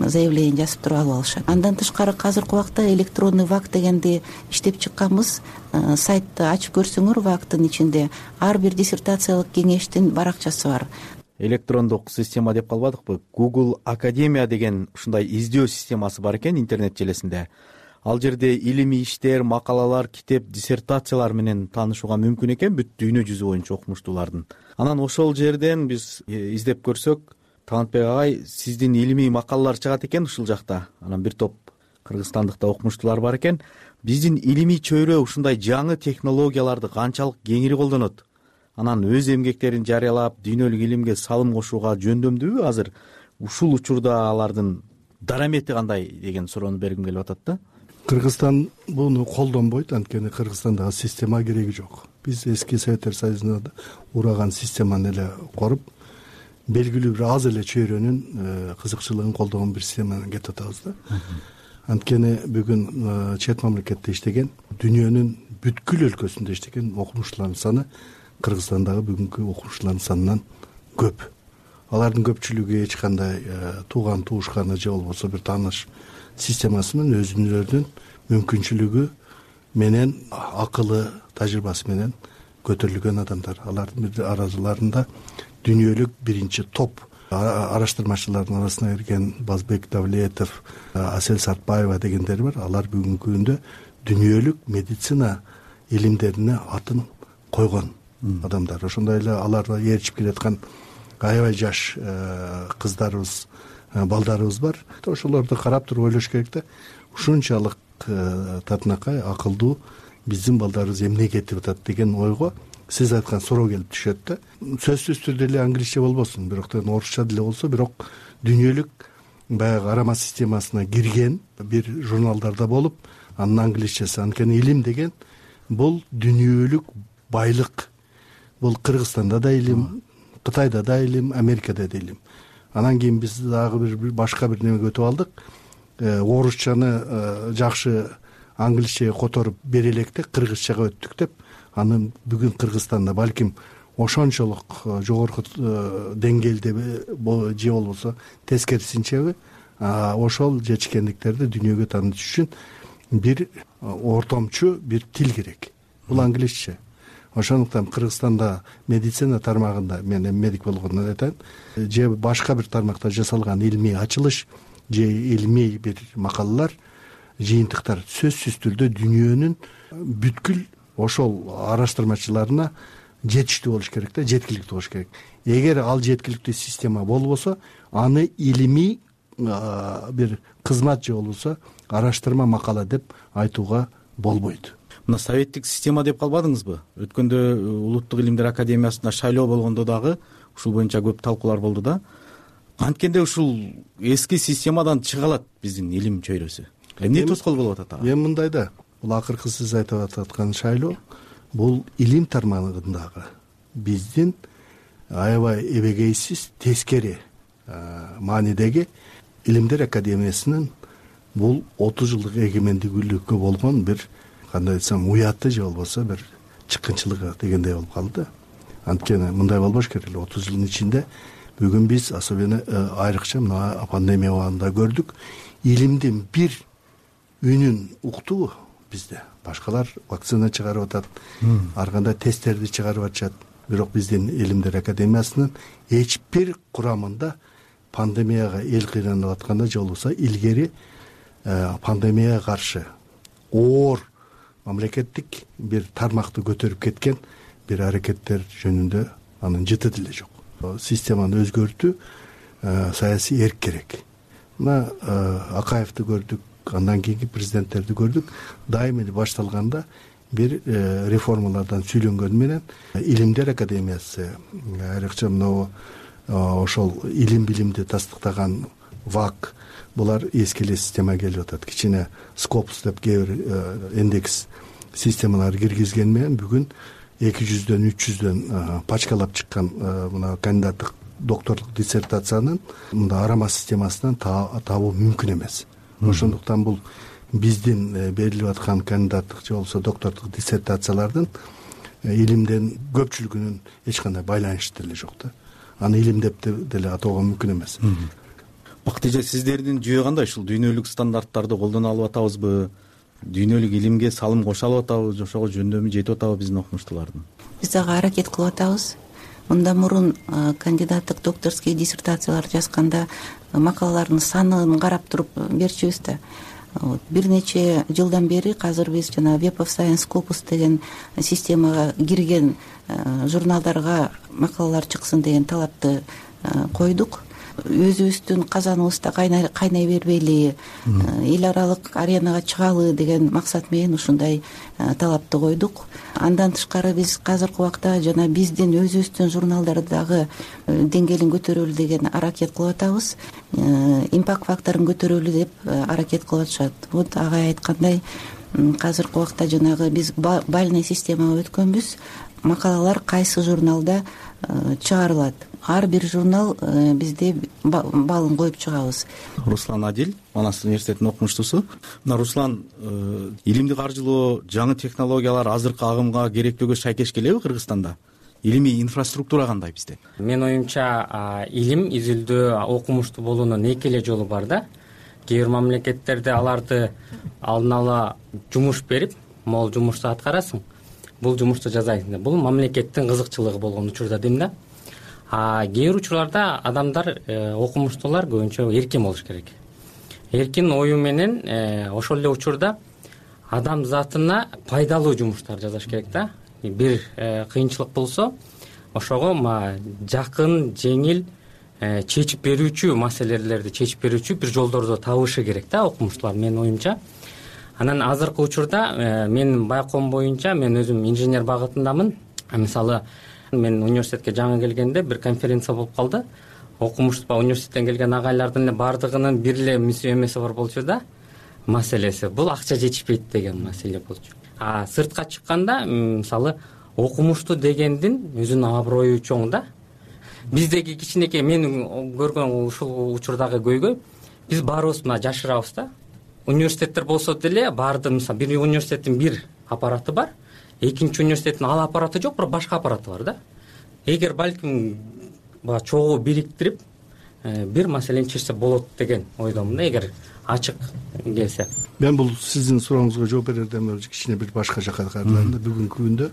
заявление жазып туруп алып алышат. Андан тышкары азыркы убакта электронный ВАК дегенди иштеп чыкканбыз. Сайтты ачып көрсөңөр, ВАКтын ичинде ар бир диссертациялык кеңештин баракчасы бар. Электрондук система деп калбадыкпы? Google Академия деген ушундай издөө системасы бар экен интернет желесинде. Ал жерде илимий иштер, макалалар, китеп, диссертациялар менен таанышууга мүмкүн экен бүт дүйнө жүзү боюнча окумуштуулардын. Анан ошол жерден биз издеп көрсөк, Талантбек агай, сиздин илимий макалалар чыгат экен ушул жакта. Анан бир топ кыргызстандыкта окумуштуулар бар экен. Биздин илимий чөйрө ушундай жаңы технологияларды канчалык кеңири колдонот? Анан өз эмгектерин жарыялап, дүйнөлүк илимге салым кошууга жөндөмдүүбү азыр? Ушул учурда алардын дарамети кандай деген суроону бергим келип атат да. Кыргызстан буну колдонбойт, анткени Кыргызстандагы система кереги жок. Биз эски Советтер Союзунда ураган системаны эле коруп, белгилүү бир аз эле чөйрөнүн кызыкчылыгын колдогон бир системаны кетип атабыз да. Анткени бүгүн чет мамлекетте иштеген, дүйнөнүн бүткүл өлкөсүндө иштеген окумуштуулардын саны Кыргызстандагы бүгүнкү окумуштуулардын санынан көп. Алардын көпчүлүгү эч кандай тууган туушканы же болбосо бир тааныш системасы менен өзүнүн мүмкүнчүлүгү менен акылы тажрыйбасы менен көтөрүлгөн адамдар. Алардын араларында дүйнөлүк биринчи топ араштырмачылардын арасына кирген Базбек Давлетов, Асель Сартбаева дегендер бар. Алар бүгүнкү күндө дүйнөлүк медицина илимдерине атын койгон адамдар. Ошондой эле аларга ээрчип келаткан аябай жаш кыздарыбыз, балдарыбыз бар. Ошолорду карап туруп ойлош керек да, ушунчалык татынакай акылдуу биздин балдарыбыз эмне кетип атат деген ойго сиз айткан суроо келип түшөт да. Сөзсүз түрдө эле англисче болбосун, бирок орусча деле болсо, бирок дүйнөлүк баягы арама системасына кирген бир журналдарда болуп, анын англисчеси. Анткени илим деген бул дүйнөлүк байлык. Бул Кыргызстанда да илим, Кытайда да илим, Америкада да илим. Анан кийин биз дагы бир башка бир немеге өтүп алдык. Орусчаны жакшы англисчеге которуп бере электе кыргызчага өттүк деп, аны бүгүн Кыргызстанда балким ошончолук жогорку деңгээлде же болбосо тескерисинчеби ошол жетишкендиктерди дүйнөгө таанытыш үчүн бир ортомчу бир тил керек. Бул англисче. Ошондуктан Кыргызстанда медицина тармагында, мен медик болгондон айтайын, же башка бир тармакта жасалган илмий ачылыш же илмий бир макалалар, жыйынтыктар сөзсүз түрдө дүйнөнүн бүткүл ошол араштырмачыларына жетиштүү болуш керек да, жеткиликтүү болуш керек. Эгер ал жеткиликтүү система болбосо, аны илимий бир кызмат же болбосо араштырма макала деп айтууга болбойт. Мына советтик система деп калбадыңызбы? Өткөндө Улуттук илимдер академиясында шайлоо болгондо дагы ушул боюнча көп талкуулар болду да. Анткенде ушул эски системадан чыга алат биздин илим чөйрөсү. Эмне тоскоол болуп атат ага? Эми мындай да, бул акыркы сиз айтып аткан шайлоо бул илим тармагындагы биздин аябай эбегейсиз тескери маанидеги илимдер академиясынын бул 30 жылдык эгемендүүлүккө болгон бир, кандай айтсам, уяты же болбосо бир чыккынчылыгы дегендей болуп калды. Анткени мындай болбош керек эле. 30 жылдын ичинде бүгүн биз особенно айрыкча мына пандемия убагында көрдүк, илимдин бир үнүн уктуу бизде. Башкалар вакцина чыгарып атат, ар кандай тесттерди чыгарып атышат. Бирок биздин илимдер академиясынын эч бир курамында пандемияга эл кыйнанып атканда же болбосо илгери пандемияга каршы оор мамлекеттик бир тармакты көтөрүп кеткен бир аракеттер жөнүндө анын жыты деле жок. Системаны өзгөртүү, саясий эрк керек. Мына Акаевди көрдүк, андан кийинки президенттерди көрдүк. Дайым эле башталганда бир реформалардан сүйлөнгөн менен илимдер академиясы, айрыкча мына ошол илим билимди тастыктаган ВАК, булар эски эле система келип атат. Кичине Скопус деп кээ бир индекс системалар киргизген менен бүгүн 200дөн 300дөн пачкалап чыккан мына кандидаттык докторлук диссертациянын мында арама системасынан табуу мүмкүн эмес. Ошондуктан бул биздин берилип аткан кандидаттык же болбосо докторлук диссертациялардын илимден көпчүлүгүнүн эч кандай байланышы деле жок да. Аны илим деп деле атоого мүмкүн эмес. Бактыжа, сиздердин жүйө кандай? Ушул дүйнөлүк стандарттарды колдоно алып атабызбы? Дүйнөлүк илимге салым кошо алып атабызбы? Ошого жөндөмү жетип атабы биздин окумуштуулардын? Биз дагы аракет кылып атабыз. Мындан мурун кандидаттык докторский диссертациялар жазганда макалалардын санын карап туруп берчүбүз да. Бир нече жылдан бери азыр биз жана Web of Science Scopus деген системага кирген журналдарга макалалар чыксын деген талапты койдук. Өзүбүздүн казаныбызда кайнай бербейли, эл аралык аренага чыгалы деген максат менен ушундай талапты койдук. Андан тышкары биз азыркы убакта жана биздин өзүбүздүн журналдардагы деңгээлин көтөрөлү деген аракет кылып атабыз. Импакт факторун көтөрөлү деп аракет кылып атышат. Вот агай айткандай, азыркы убакта жанагы биз бальный системага өткөнбүз. Макалалар кайсы журналда чыгарылат. Ар бир журнал бизде балын коюп чыгабыз. Руслан Адил, Манас университетинин окумуштуусу. Мына Руслан, илимди каржылоо, жаңы технологиялар азыркы агымга керектөөгө шайкеш келеби Кыргызстанда? илимий инфраструктура кандай бизде? Менин оюмча илим изилдөө, окумуштуу болуунун эки эле жолу бар да. Кээ бир мамлекеттерде аларды алдын ала жумуш берип, могул жумушту аткарасың, бул жумушту жасайсың. Бул мамлекеттин кызыкчылыгы болгон учурда дейм да. Кээ бир учурларда адамдар, окумуштуулар көбүнчө эркин болуш керек. Эркин ою менен ошол эле учурда адам затына пайдалуу жумуштар жасаш керек да. Бир кыйынчылык болсо, ошого жакын, жеңил чечип берүүчү маселелерди чечип берүүчү бир жолдорду табышы керек да окумуштуулар, менин оюмча. Анан азыркы учурда менин байкоом боюнча, мен өзүм инженер багытындамын. Мисалы, мен университетке жаңы келгенде бир конференция болуп калды. Окумуштуу университеттен келген агайлардын эле бардыгынын бир эле эмеси бар болчу да. Маселеси бул акча жетишпейт деген маселе болчу. Сыртка чыкканда, мисалы, окумуштуу дегендин өзүнүн аброю чоң да. Биздеги кичинекей мен көргөн ушул учурдагы көйгөй, биз баарыбыз жашырабыз да. Университеттер болсо деле баарды, мисалы, бир университеттин бир аппараты бар, экинчи университеттин ал аппараты жок, бирок башка аппараты бар да. Эгер балким чогуу бириктирип бир маселени чечсе болот деген ойдомун да, эгер ачык келсе. Мен бул сиздин сурооңузга жооп берерден өзү кичине бир башка жака карайлайм да. Бүгүнкү күндө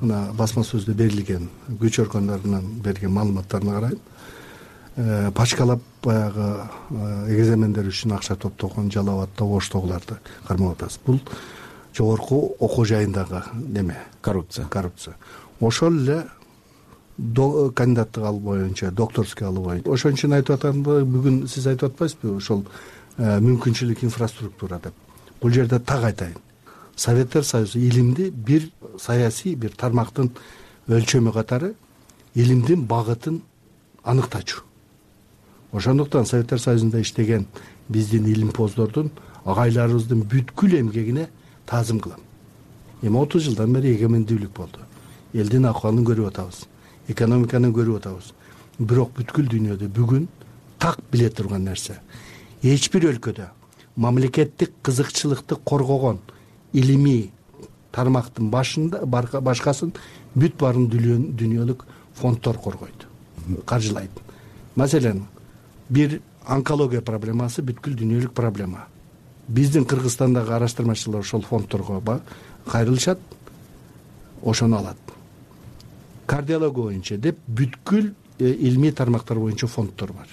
мына басма сөздө берилген күч органдарынан берген маалыматтарына карайм. Пачкалап баягы экзамендер үчүн акча топтогон Жалал абадта, Оштогуларды кармап атасыз. Бул жогорку окуу жайындагы неме? Коррупция. Ошол эле кандидаттык алуу боюнча, докторский алуу боюнча. Ошон үчүн айтып атам, бүгүн сиз айтып атпайсызбы ошол мүмкүнчүлүк инфраструктура деп. Бул жерде так айтайын. Советтер Союзу илимди бир саясий бир тармактын өлчөмү катары илимдин багытын аныктачу. Ошондуктан Советтер Союзунда иштеген биздин илимпоздордун, агайларыбыздын бүткүл эмгегине таазым кылам. Эми 30 жылдан бери эгемендүүлүк болду. Элдин акыбалын көрүп атабыз, экономиканы көрүп атабыз. Бирок бүткүл дүйнөдө бүгүн так биле турган нерсе, эч бир өлкөдө мамлекеттик кызыкчылыкты коргогон илимий тармактын башкасын бүт баарын дүйнөлүк фонддор коргойт, каржылайт. Маселен, бир онкология проблемасы бүткүл дүйнөлүк проблема. Биздин Кыргызстандагы араштырмачылар ошол фонддорго кайрылышат, ошону алат. Кардиология боюнча деп бүткүл илимий тармактар боюнча фонддор бар.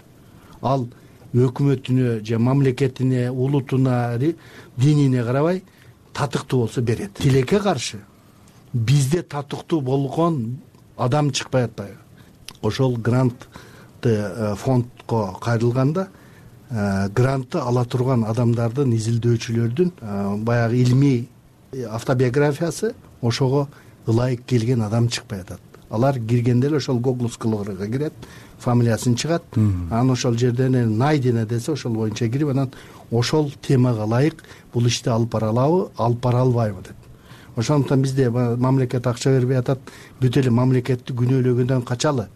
Ал өкмөтүнө же мамлекетине, улутуна, динине карабай татыктуу болсо берет. Тилекке каршы бизде татыктуу болгон адам чыкпай атпайбы? Ошол грантты фондко кайрылганда грантты ала турган адамдардын, изилдөөчүлөрдүн баягы илимий автобиографиясы ошого ылайык келген адам чыкпай атат. Алар киргенде эле ошол Google скылыгырга кирет, фамилиясын чыгат, анан ошол жерден найдено десе ошол боюнча кирип, анан ошол темага ылайык бул ишти алып бара алабы, алып бара албайбы деп. Ошондуктан бизде мамлекет акча бербей атат, бүт эле мамлекетти күнөөлөгөндөн качалы.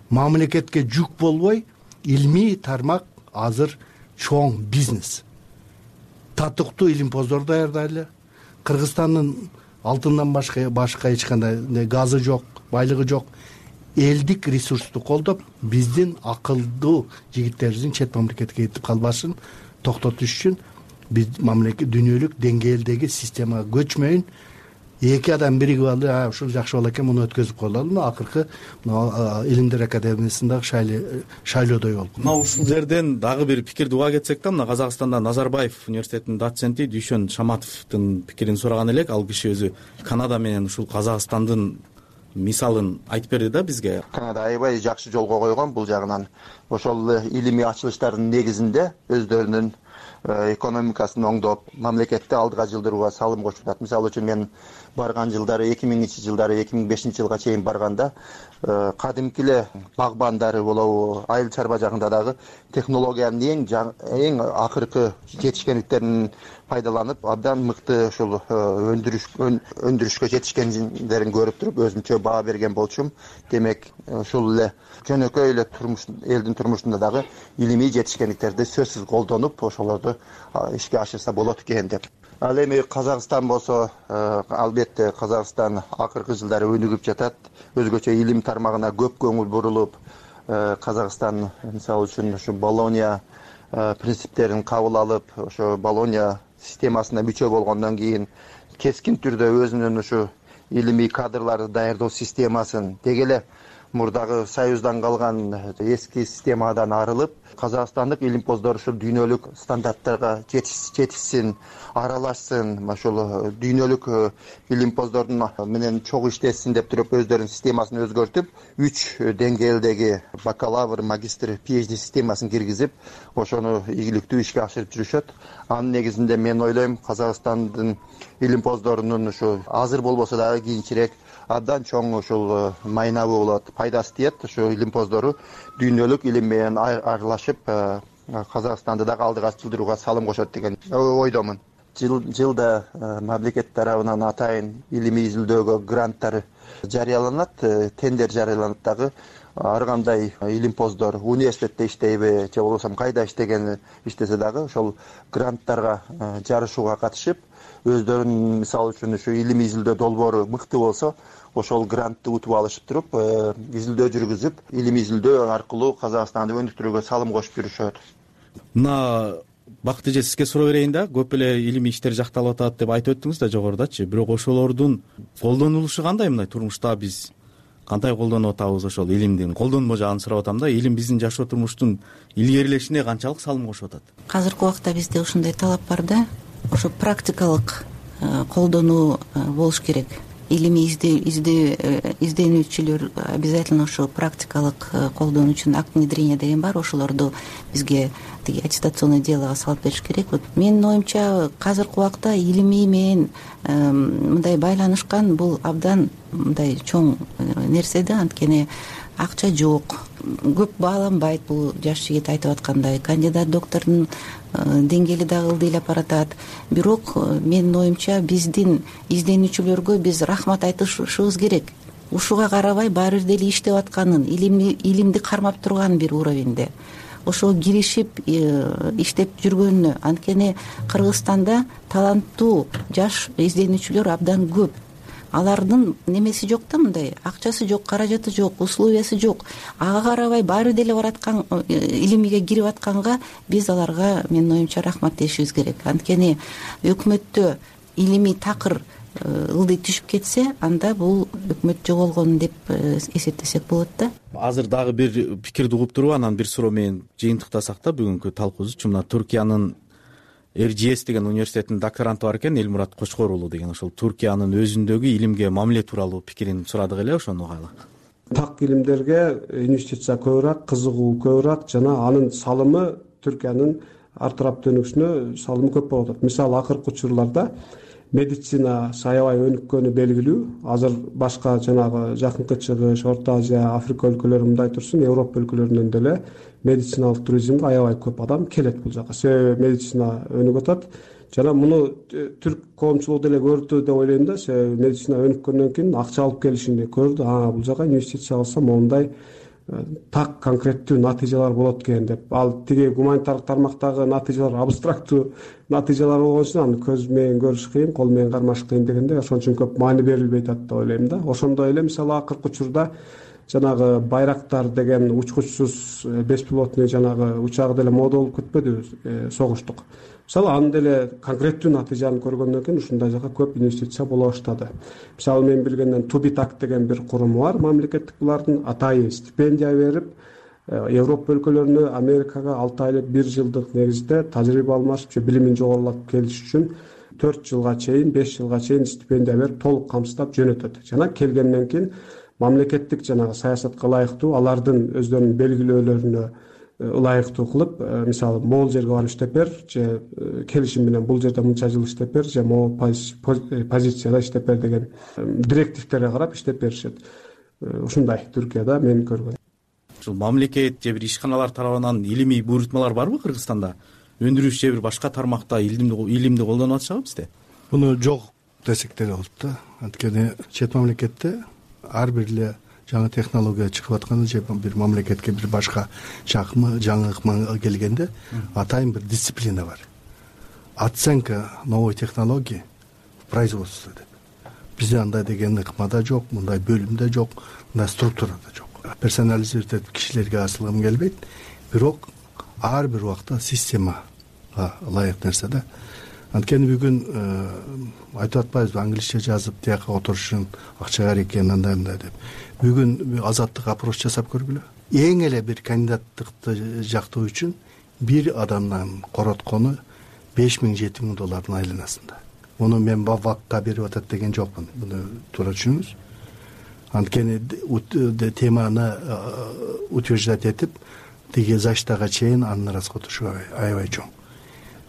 Мамлекетке жүк болбой, илимий тармак азыр чоң бизнес. Татыктуу илимпоздор даярдайлы. Кыргызстандын алтындан башка эч кандай газы жок, байлыгы жок. Элдик ресурсту колдоп, биздин акылдуу жигиттерибиздин чет мамлекетке кетип калбашын токтотуш үчүн биз мамлекет дүйнөлүк деңгээлдеги системага көчмөйүн. Эки адам биригип алды, ушул жакшы боло экен, муну өткөзүп коелу. Акыркы Илимдер академиясындагы шайлоодой болуп. Мына ушул жерден дагы бир пикирди уга кетсек да, мына Казакстанда Назарбаев университетинин доценти Дүйшөн Шаматовдун пикирин сураган элек. Ал киши өзү Канада менен ушул Казакстандын мисалын айтып берди да бизге. Канада аябай жакшы жолго койгон бул жагынан. Ошол илимий ачылыштардын негизинде өздөрүнүн экономикасын оңдоп, мамлекетти алдыга жылдырууга салым кошуп атат. Мисалы үчүн мен барган жылдары 2000-жылдары 2005-жылга чейин барганда кадимки эле багбандары болобу, айыл чарба жагында дагы технологиянын эң акыркы жетишкендиктерин пайдаланып, абдан мыкты ушул өндүрүшкө жетишкендерин көрүп туруп, өзүмчө баа берген болчумун. Демек, ушул эле жөнөкөй эле элдин турмушунда дагы илимий жетишкендиктерди сөзсүз колдонуп, ошолорду ишке ашырса болот экен деп. Ал эми Казакстан болсо, албетте Казакстан акыркы жылдары өнүгүп жатат. Өзгөчө илим тармагына көп көңүл бурулуп, Казакстан мисалы үчүн ушу Болония принциптерин кабыл алып, ошо Болония системасына мүчө болгондон кийин кескин түрдө өзүнүн ушу илимий кадрларды даярдоо системасын деги эле мурдагы Союздан калган эски системадан арылып, казакстандык илимпоздор ушул дүйнөлүк стандарттарга жетишсин, аралашсын, ошол дүйнөлүк илимпоздордун менен чогуу иштесин деп туруп өздөрүнүн системасын өзгөртүп, 3 деңгээлдеги бакалавр, магистр, PhD системасын киргизип, ошону ийгиликтүү ишке ашырып жүрүшөт. Анын негизинде мен ойлойм, Казакстандын илимпоздорунун ушу азыр болбосо дагы кийинчерээк абдан чоң ушул майнабы болот, пайдасы тиет. Ушу илимпоздору дүйнөлүк илим менен аралашып, Казакстанды дагы алдыга жылдырууга салым кошот деген ойдомун. Жылда мамлекет тарабынан атайын илимий изилдөөгө гранттар жарыяланат, тендер жарыяланат дагы. Ар кандай илимпоздор университетте иштейби же болбосо кайда иштесе дагы ошол гранттарга жарышууга катышып, өздөрүнүн мисалы үчүн ушу илимий изилдөө долбоору мыкты болсо, ошол грантты утуп алышып туруп, изилдөө жүргүзүп, илимий изилдөө аркылуу Казакстанды өнүктүрүүгө салым кошуп жүрүшөт. Мына Бакыт эже, сизге суроо берейин да. Көп эле илимий иштер жакталып атат деп айтып өттүңүз да жогорудачы. Бирок ошолордун колдонулушу кандай мындай турмушта биз кандай колдонуп атабыз ошол илимдин колдонмо жагын сурап атам да. Илим биздин жашоо турмуштун илгерилешине канчалык салым кошуп атат? Азыркы убакта бизде ушундай талап бар да. Ошо практикалык колдонуу болуш керек. Илимий изденүүчүлөр обязательно ошо практикалык колдонуу үчүн акт внедрения деген бар. Ошолорду бизге тиги аттестационный делого салып бериш керек. Вот менин оюмча азыркы убакта илимий менен мындай байланышкан бул абдан мындай чоң нерсе да. Анткени акча жок, көп бааланбайт. Бул жаш жигит айтып аткандай кандидат доктордун деңгээли дагы ылдыйлап баратат. Бирок менин оюмча биздин изденүүчүлөргө биз рахмат айтышыбыз керек. Ушуга карабай баары бир деле иштеп атканын, илимди кармап турган бир уровеньде ошого киришип иштеп жүргөнүнө. Анткени Кыргызстанда таланттуу жаш изденүүчүлөр абдан көп. Алардын немеси жок да, мындай акчасы жок, каражаты жок, условиясы жок. Ага карабай баары деле бараткан илимиге кирип атканга биз аларга менин оюмча рахмат дешибиз керек. Анткени өкмөттө илимий такыр ылдый түшүп кетсе, анда бул өкмөт жоголгон деп эсептесек болот да. Азыр дагы бир пикирди угуп туруп, анан бир суроо менен жыйынтыктасак да бүгүнкү талкуубузду. Мына Түркиянын RGS деген университетинин докторанты бар экен, Элмурат Кочкор уулу деген. Ошол Түркиянын өзүндөгү илимге мамиле тууралуу пикирин сурадык эле, ошону угайлы. Так илимдерге инвестиция көбүрөөк, кызыгуу көбүрөөк жана анын салымы Түркиянын ар тараптуу өнүгүшүнө салымы көп болуп атат. Мисалы, акыркы учурларда медицина аябай өнүккөнү белгилүү. Азыр башка жанагы Жакынкы Чыгыш, Орто Азия, Африка өлкөлөрү мындай турсун, Европа өлкөлөрүнөн деле медициналык туризмге аябай көп адам келет бул жака. Себеби медицина өнүгүп атат. Жана муну түрк коомчулугу деле көрдү деп ойлойм да. Себеби медицина өнүккөндөн кийин акча алып келишинди көрдү. Бул жака инвестиция кылсам моундай так конкреттүү натыйжалар болот экен деп. Ал тиги гуманитардык тармактагы натыйжалар абстрактуу натыйжалар болгон үчүн аны көз менен көрүш кыйын, кол менен кармаш кыйын дегенде ошон үчүн көп маани берилбей атат деп ойлойм да. Ошондой эле мисалы акыркы учурда жанагы Байрактар деген учкучсуз беспилотный жанагы учагы деле мода болуп кетпедиби, согуштук. Мисалы аны деле конкреттүү натыйжаны көргөндөн кийин ушундай жака көп инвестиция боло баштады. Мисалы мен билгенден Тубитак деген бир куруму бар, мамлекеттик булардын атайын стипендия берип, Европа өлкөлөрүнө, Америкага 6 айлык 1 жылдык негизде тажрыйба алмашып же билимин жогорулатып келиш үчүн 4 жылга чейин, 5 жылга чейин стипендия берип, толук камсыздап жөнөтөт. Жана келгенден кийин мамлекеттик жанагы саясатка ылайыктуу, алардын өздөрүнүн белгилөөлөрүнө ылайыктуу кылып, мисалы могул жерге барып иштеп бер, же келишим менен бул жерде мынча жыл иштеп бер, же могул позицияда иштеп бер деген директивтерге карап иштеп беришет. Ушундай Түркияда мен көргөнүм. Ушул мамлекет же бир ишканалар тарабынан илимий буйрутмалар барбы Кыргызстанда? Өндүрүш же бир башка тармакта илимди колдонуп атышабы бизде? Муну жок десек деле болот да. Анткени чет мамлекетте ар бир эле жаңы технология чыгып атканда же бир мамлекетке бир башка жаңы ыкма келгенде атайын бир дисциплина бар. оценка новой технологии в производстве деп. Бизде андай деген ыкмада жок, мындай бөлүмдө жок, мындай структурада жок. Персонализировать этип кишилерге асылгым келбейт, бирок ар бир убакта системага ылайык нерсе да. Анткени бүгүн айтып атпайбызбы, англисче жазып тияка отурушун акча бар экен, андай деп. Бүгүн азаттык опрос жасап көргүлө. Эң эле бир кандидаттыкты жактоо үчүн бир адамдан короткону $5000–7000 айланасында. Муну мен ВАКка берип атат деген жокмун. Муну туура түшүнүңүз. Анткени теманы утверждать этип, тиги заштага чейин анын расходу аябай чоң.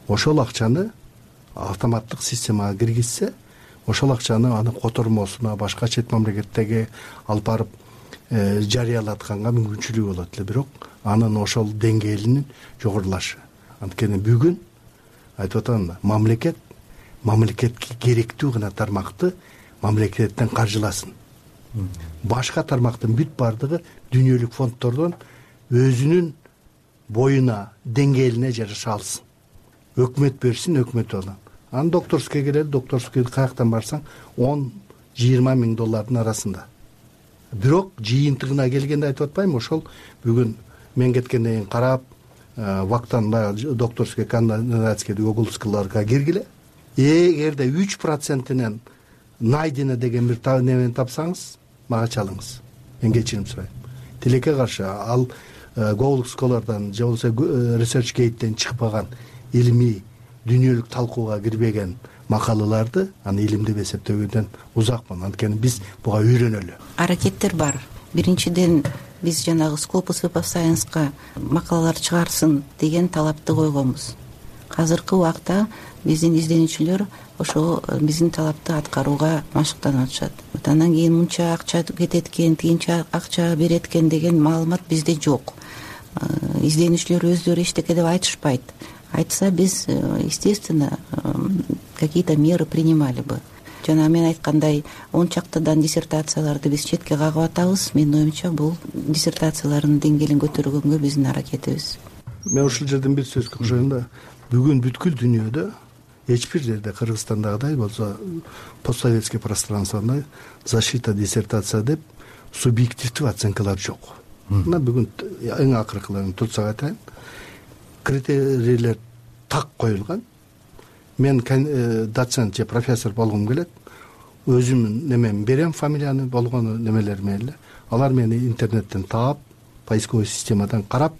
Ошол акчаны автоматтык системага киргизсе, ошол акчаны анын котормосуна башка чет мамлекеттерге алып барып жарыялатканга мүмкүнчүлүгү болот эле, бирок анын ошол деңгээлинин жогорулашы. Анткени бүгүн айтып атам да, мамлекетке керектүү гана тармакты мамлекеттен каржыласын. Башка тармактын бүт бардыгы дүйнөлүк фонддордон өзүнүн боюна, деңгээлине жараша алсын. Өкмөт берсин, өкмөт алсын. Аны докторскийге келет, докторский каяктан барсаң $10–20 миң арасында. Бирок жыйынтыгына келгенде айтып атпайм, ошол бүгүн мен кеткенден кийин карап, ВАКтан докторский кандидатский уголовскийларга киргиле. Эгерде 3%-нен найдено деген бир немени тапсаңыз, мага чалыңыз. Мен кечирим сурайм. Тилекке каршы ал Google Scholar'дан же болбосо ResearchGate'ден чыкпаган илимий дүйнөлүк талкууга кирбеген макалаларды аны илим деп эсептөөгөндөн узакмын. Анткени биз буга үйрөнөлү. Аракеттер бар. Биринчиден биз жанагы Scopus Web of Science'ка макалалар чыгарсын деген талапты койгонбуз. Азыркы убакта биздин изденүүчүлөр ошо биздин талапты аткарууга машыктанып атышат. Андан кийин мынча акча кетет экен, тигинче акча берет экен деген маалымат бизде жок. Изденүүчүлөр өздөрү эчтеке деп айтышпайт. Айтса биз, естественно, какие-то меры принимали бы. Жана мен айткандай 10 чактадан диссертацияларды биз четке кагып атабыз. Менин оюмча бул диссертациялардын деңгээлин көтөргөнгө биздин аракетибиз. Мен ушул жерден бир сөзгө кошоюн да. Бүгүн бүткүл дүйнөдө эч бир жерде, Кыргызстандагыдай болсо постсоветский пространствода защита диссертация деп субъективдүү оценкалар жок. Мына бүгүн эң акыркыларын турсак айтайын. Критерийлер так коюлган. Мен доцент же профессор болгум келет. Өзүмдүн немеми берем, фамилияны болгону немелерме эле. Алар мени интернеттен таап, поисковый системадан карап,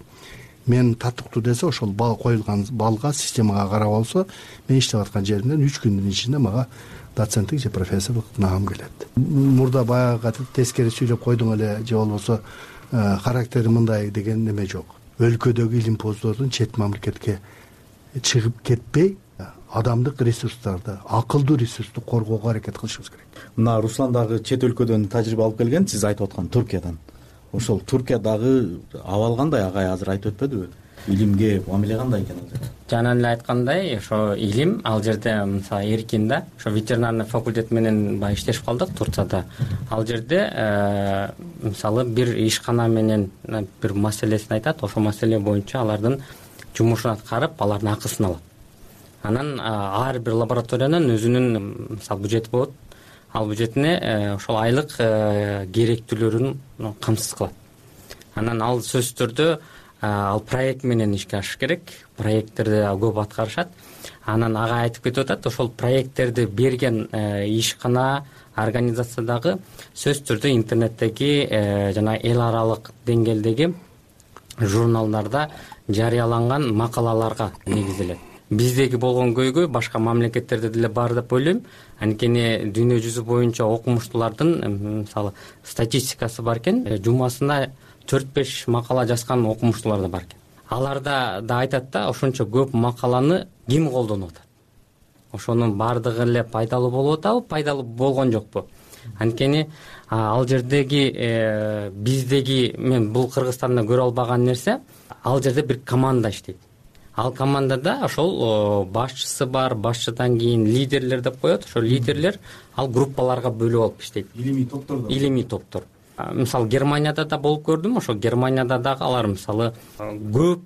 мен татыктуу десе ошол коюлган балга, системага карап алса, мен иштеп аткан жеримден 3 күндүн ичинде мага доценттик же профессорлук наам келет. Мурда баягы тескери сүйлөп койдуң эле же болбосо характери мындай деген неме жок. Өлкөдөгү илимпоздордун чет мамлекетке чыгып кетпей, адамдык ресурстарды, акылдуу ресурсту коргоого аракет кылышыбыз керек. Мына Руслан дагы чет өлкөдөн тажрыйба алып келген, сиз айтып аткан Туркиядан. Ошол Туркиядагы абал кандай, агай азыр айтып өтпөдүбү? Илимге мамиле кандай экен азыр? Жана эле айткандай, ошо илим ал жерде мисалы Эркин да, ошо ветеринарный факультет менен баягы иштешип калдык Турцияда. Ал жерде мисалы бир ишкана менен бир маселесин айтат, ошол маселе боюнча алардын жумушун аткарып, алардын акысын алат. Анан ар бир лабораториянын өзүнүн мисалы бюджети болот. Ал бюджетине ошол айлык керектүүлөрүн камсыз кылат. Анан ал сөзсүз түрдө ал проект менен ишке ашыш керек. Проекттерди көп аткарышат. Анан ага айтып кетип атат, ошол проекттерди берген ишкана, организациядагы сөзсүз түрдө интернеттеги жана эл аралык деңгээлдеги журналдарда жарыяланган макалаларга негизделет. Биздеги болгон көйгөй башка мамлекеттерде деле бар деп ойлойм. Анткени дүйнө жүзү боюнча окумуштуулардын мисалы статистикасы бар экен. Жумасына 4-5 макала жазган окумуштуулар да бар экен. Аларда да айтат да, ошончо көп макаланы ким колдонуп атат? Ошонун бардыгы эле пайдалуу болуп атабы, пайдалуу болгон жокпу? Анткени ал жердеги биздеги, мен бул Кыргызстанда көрө албаган нерсе, ал жерде бир команда иштейт. Ал командада ошол башчысы бар, башчыдан кийин лидерлер деп коет. Ошол лидерлер ал группаларга бөлүп алып иштейт. Илимий топтор. Мисалы Германияда да болуп көрдүм. Ошол Германияда дагы алар мисалы көп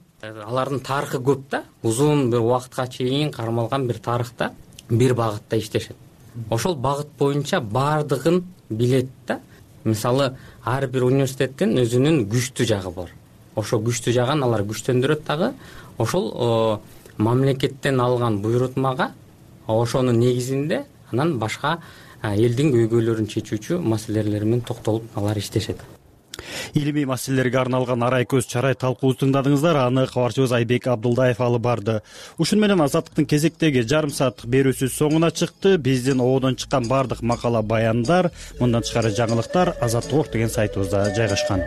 алардын тарыхы көп да, узун бир убакытка чейин кармалган бир тарыхта бир багытта иштешет. Ошол багыт боюнча баардыгын билет да. Мисалы, ар бир университеттин өзүнүн күчтүү жагы бар. Ошол күчтүү жагын алар күчтөндүрөт дагы. Ошол мамлекеттен алган буйрутмага, ошонун негизинде анан башка элдин көйгөйлөрүн чечүүчү маселелер менен токтолуп алар иштешет. Илимий маселелерге арналган арай көз чарай талкуубузду тыңдадыңыздар. Аны кабарчыбыз Айбек Абдулдаев алып барды. Ушун менен Азаттыктын кезектеги жарым сааттык берүүсү соңуна чыкты. Биздин ободон чыккан бардык макала, баяндар, мындан тышкары жаңылыктар Азаттык деген сайтыбызда жайгашкан.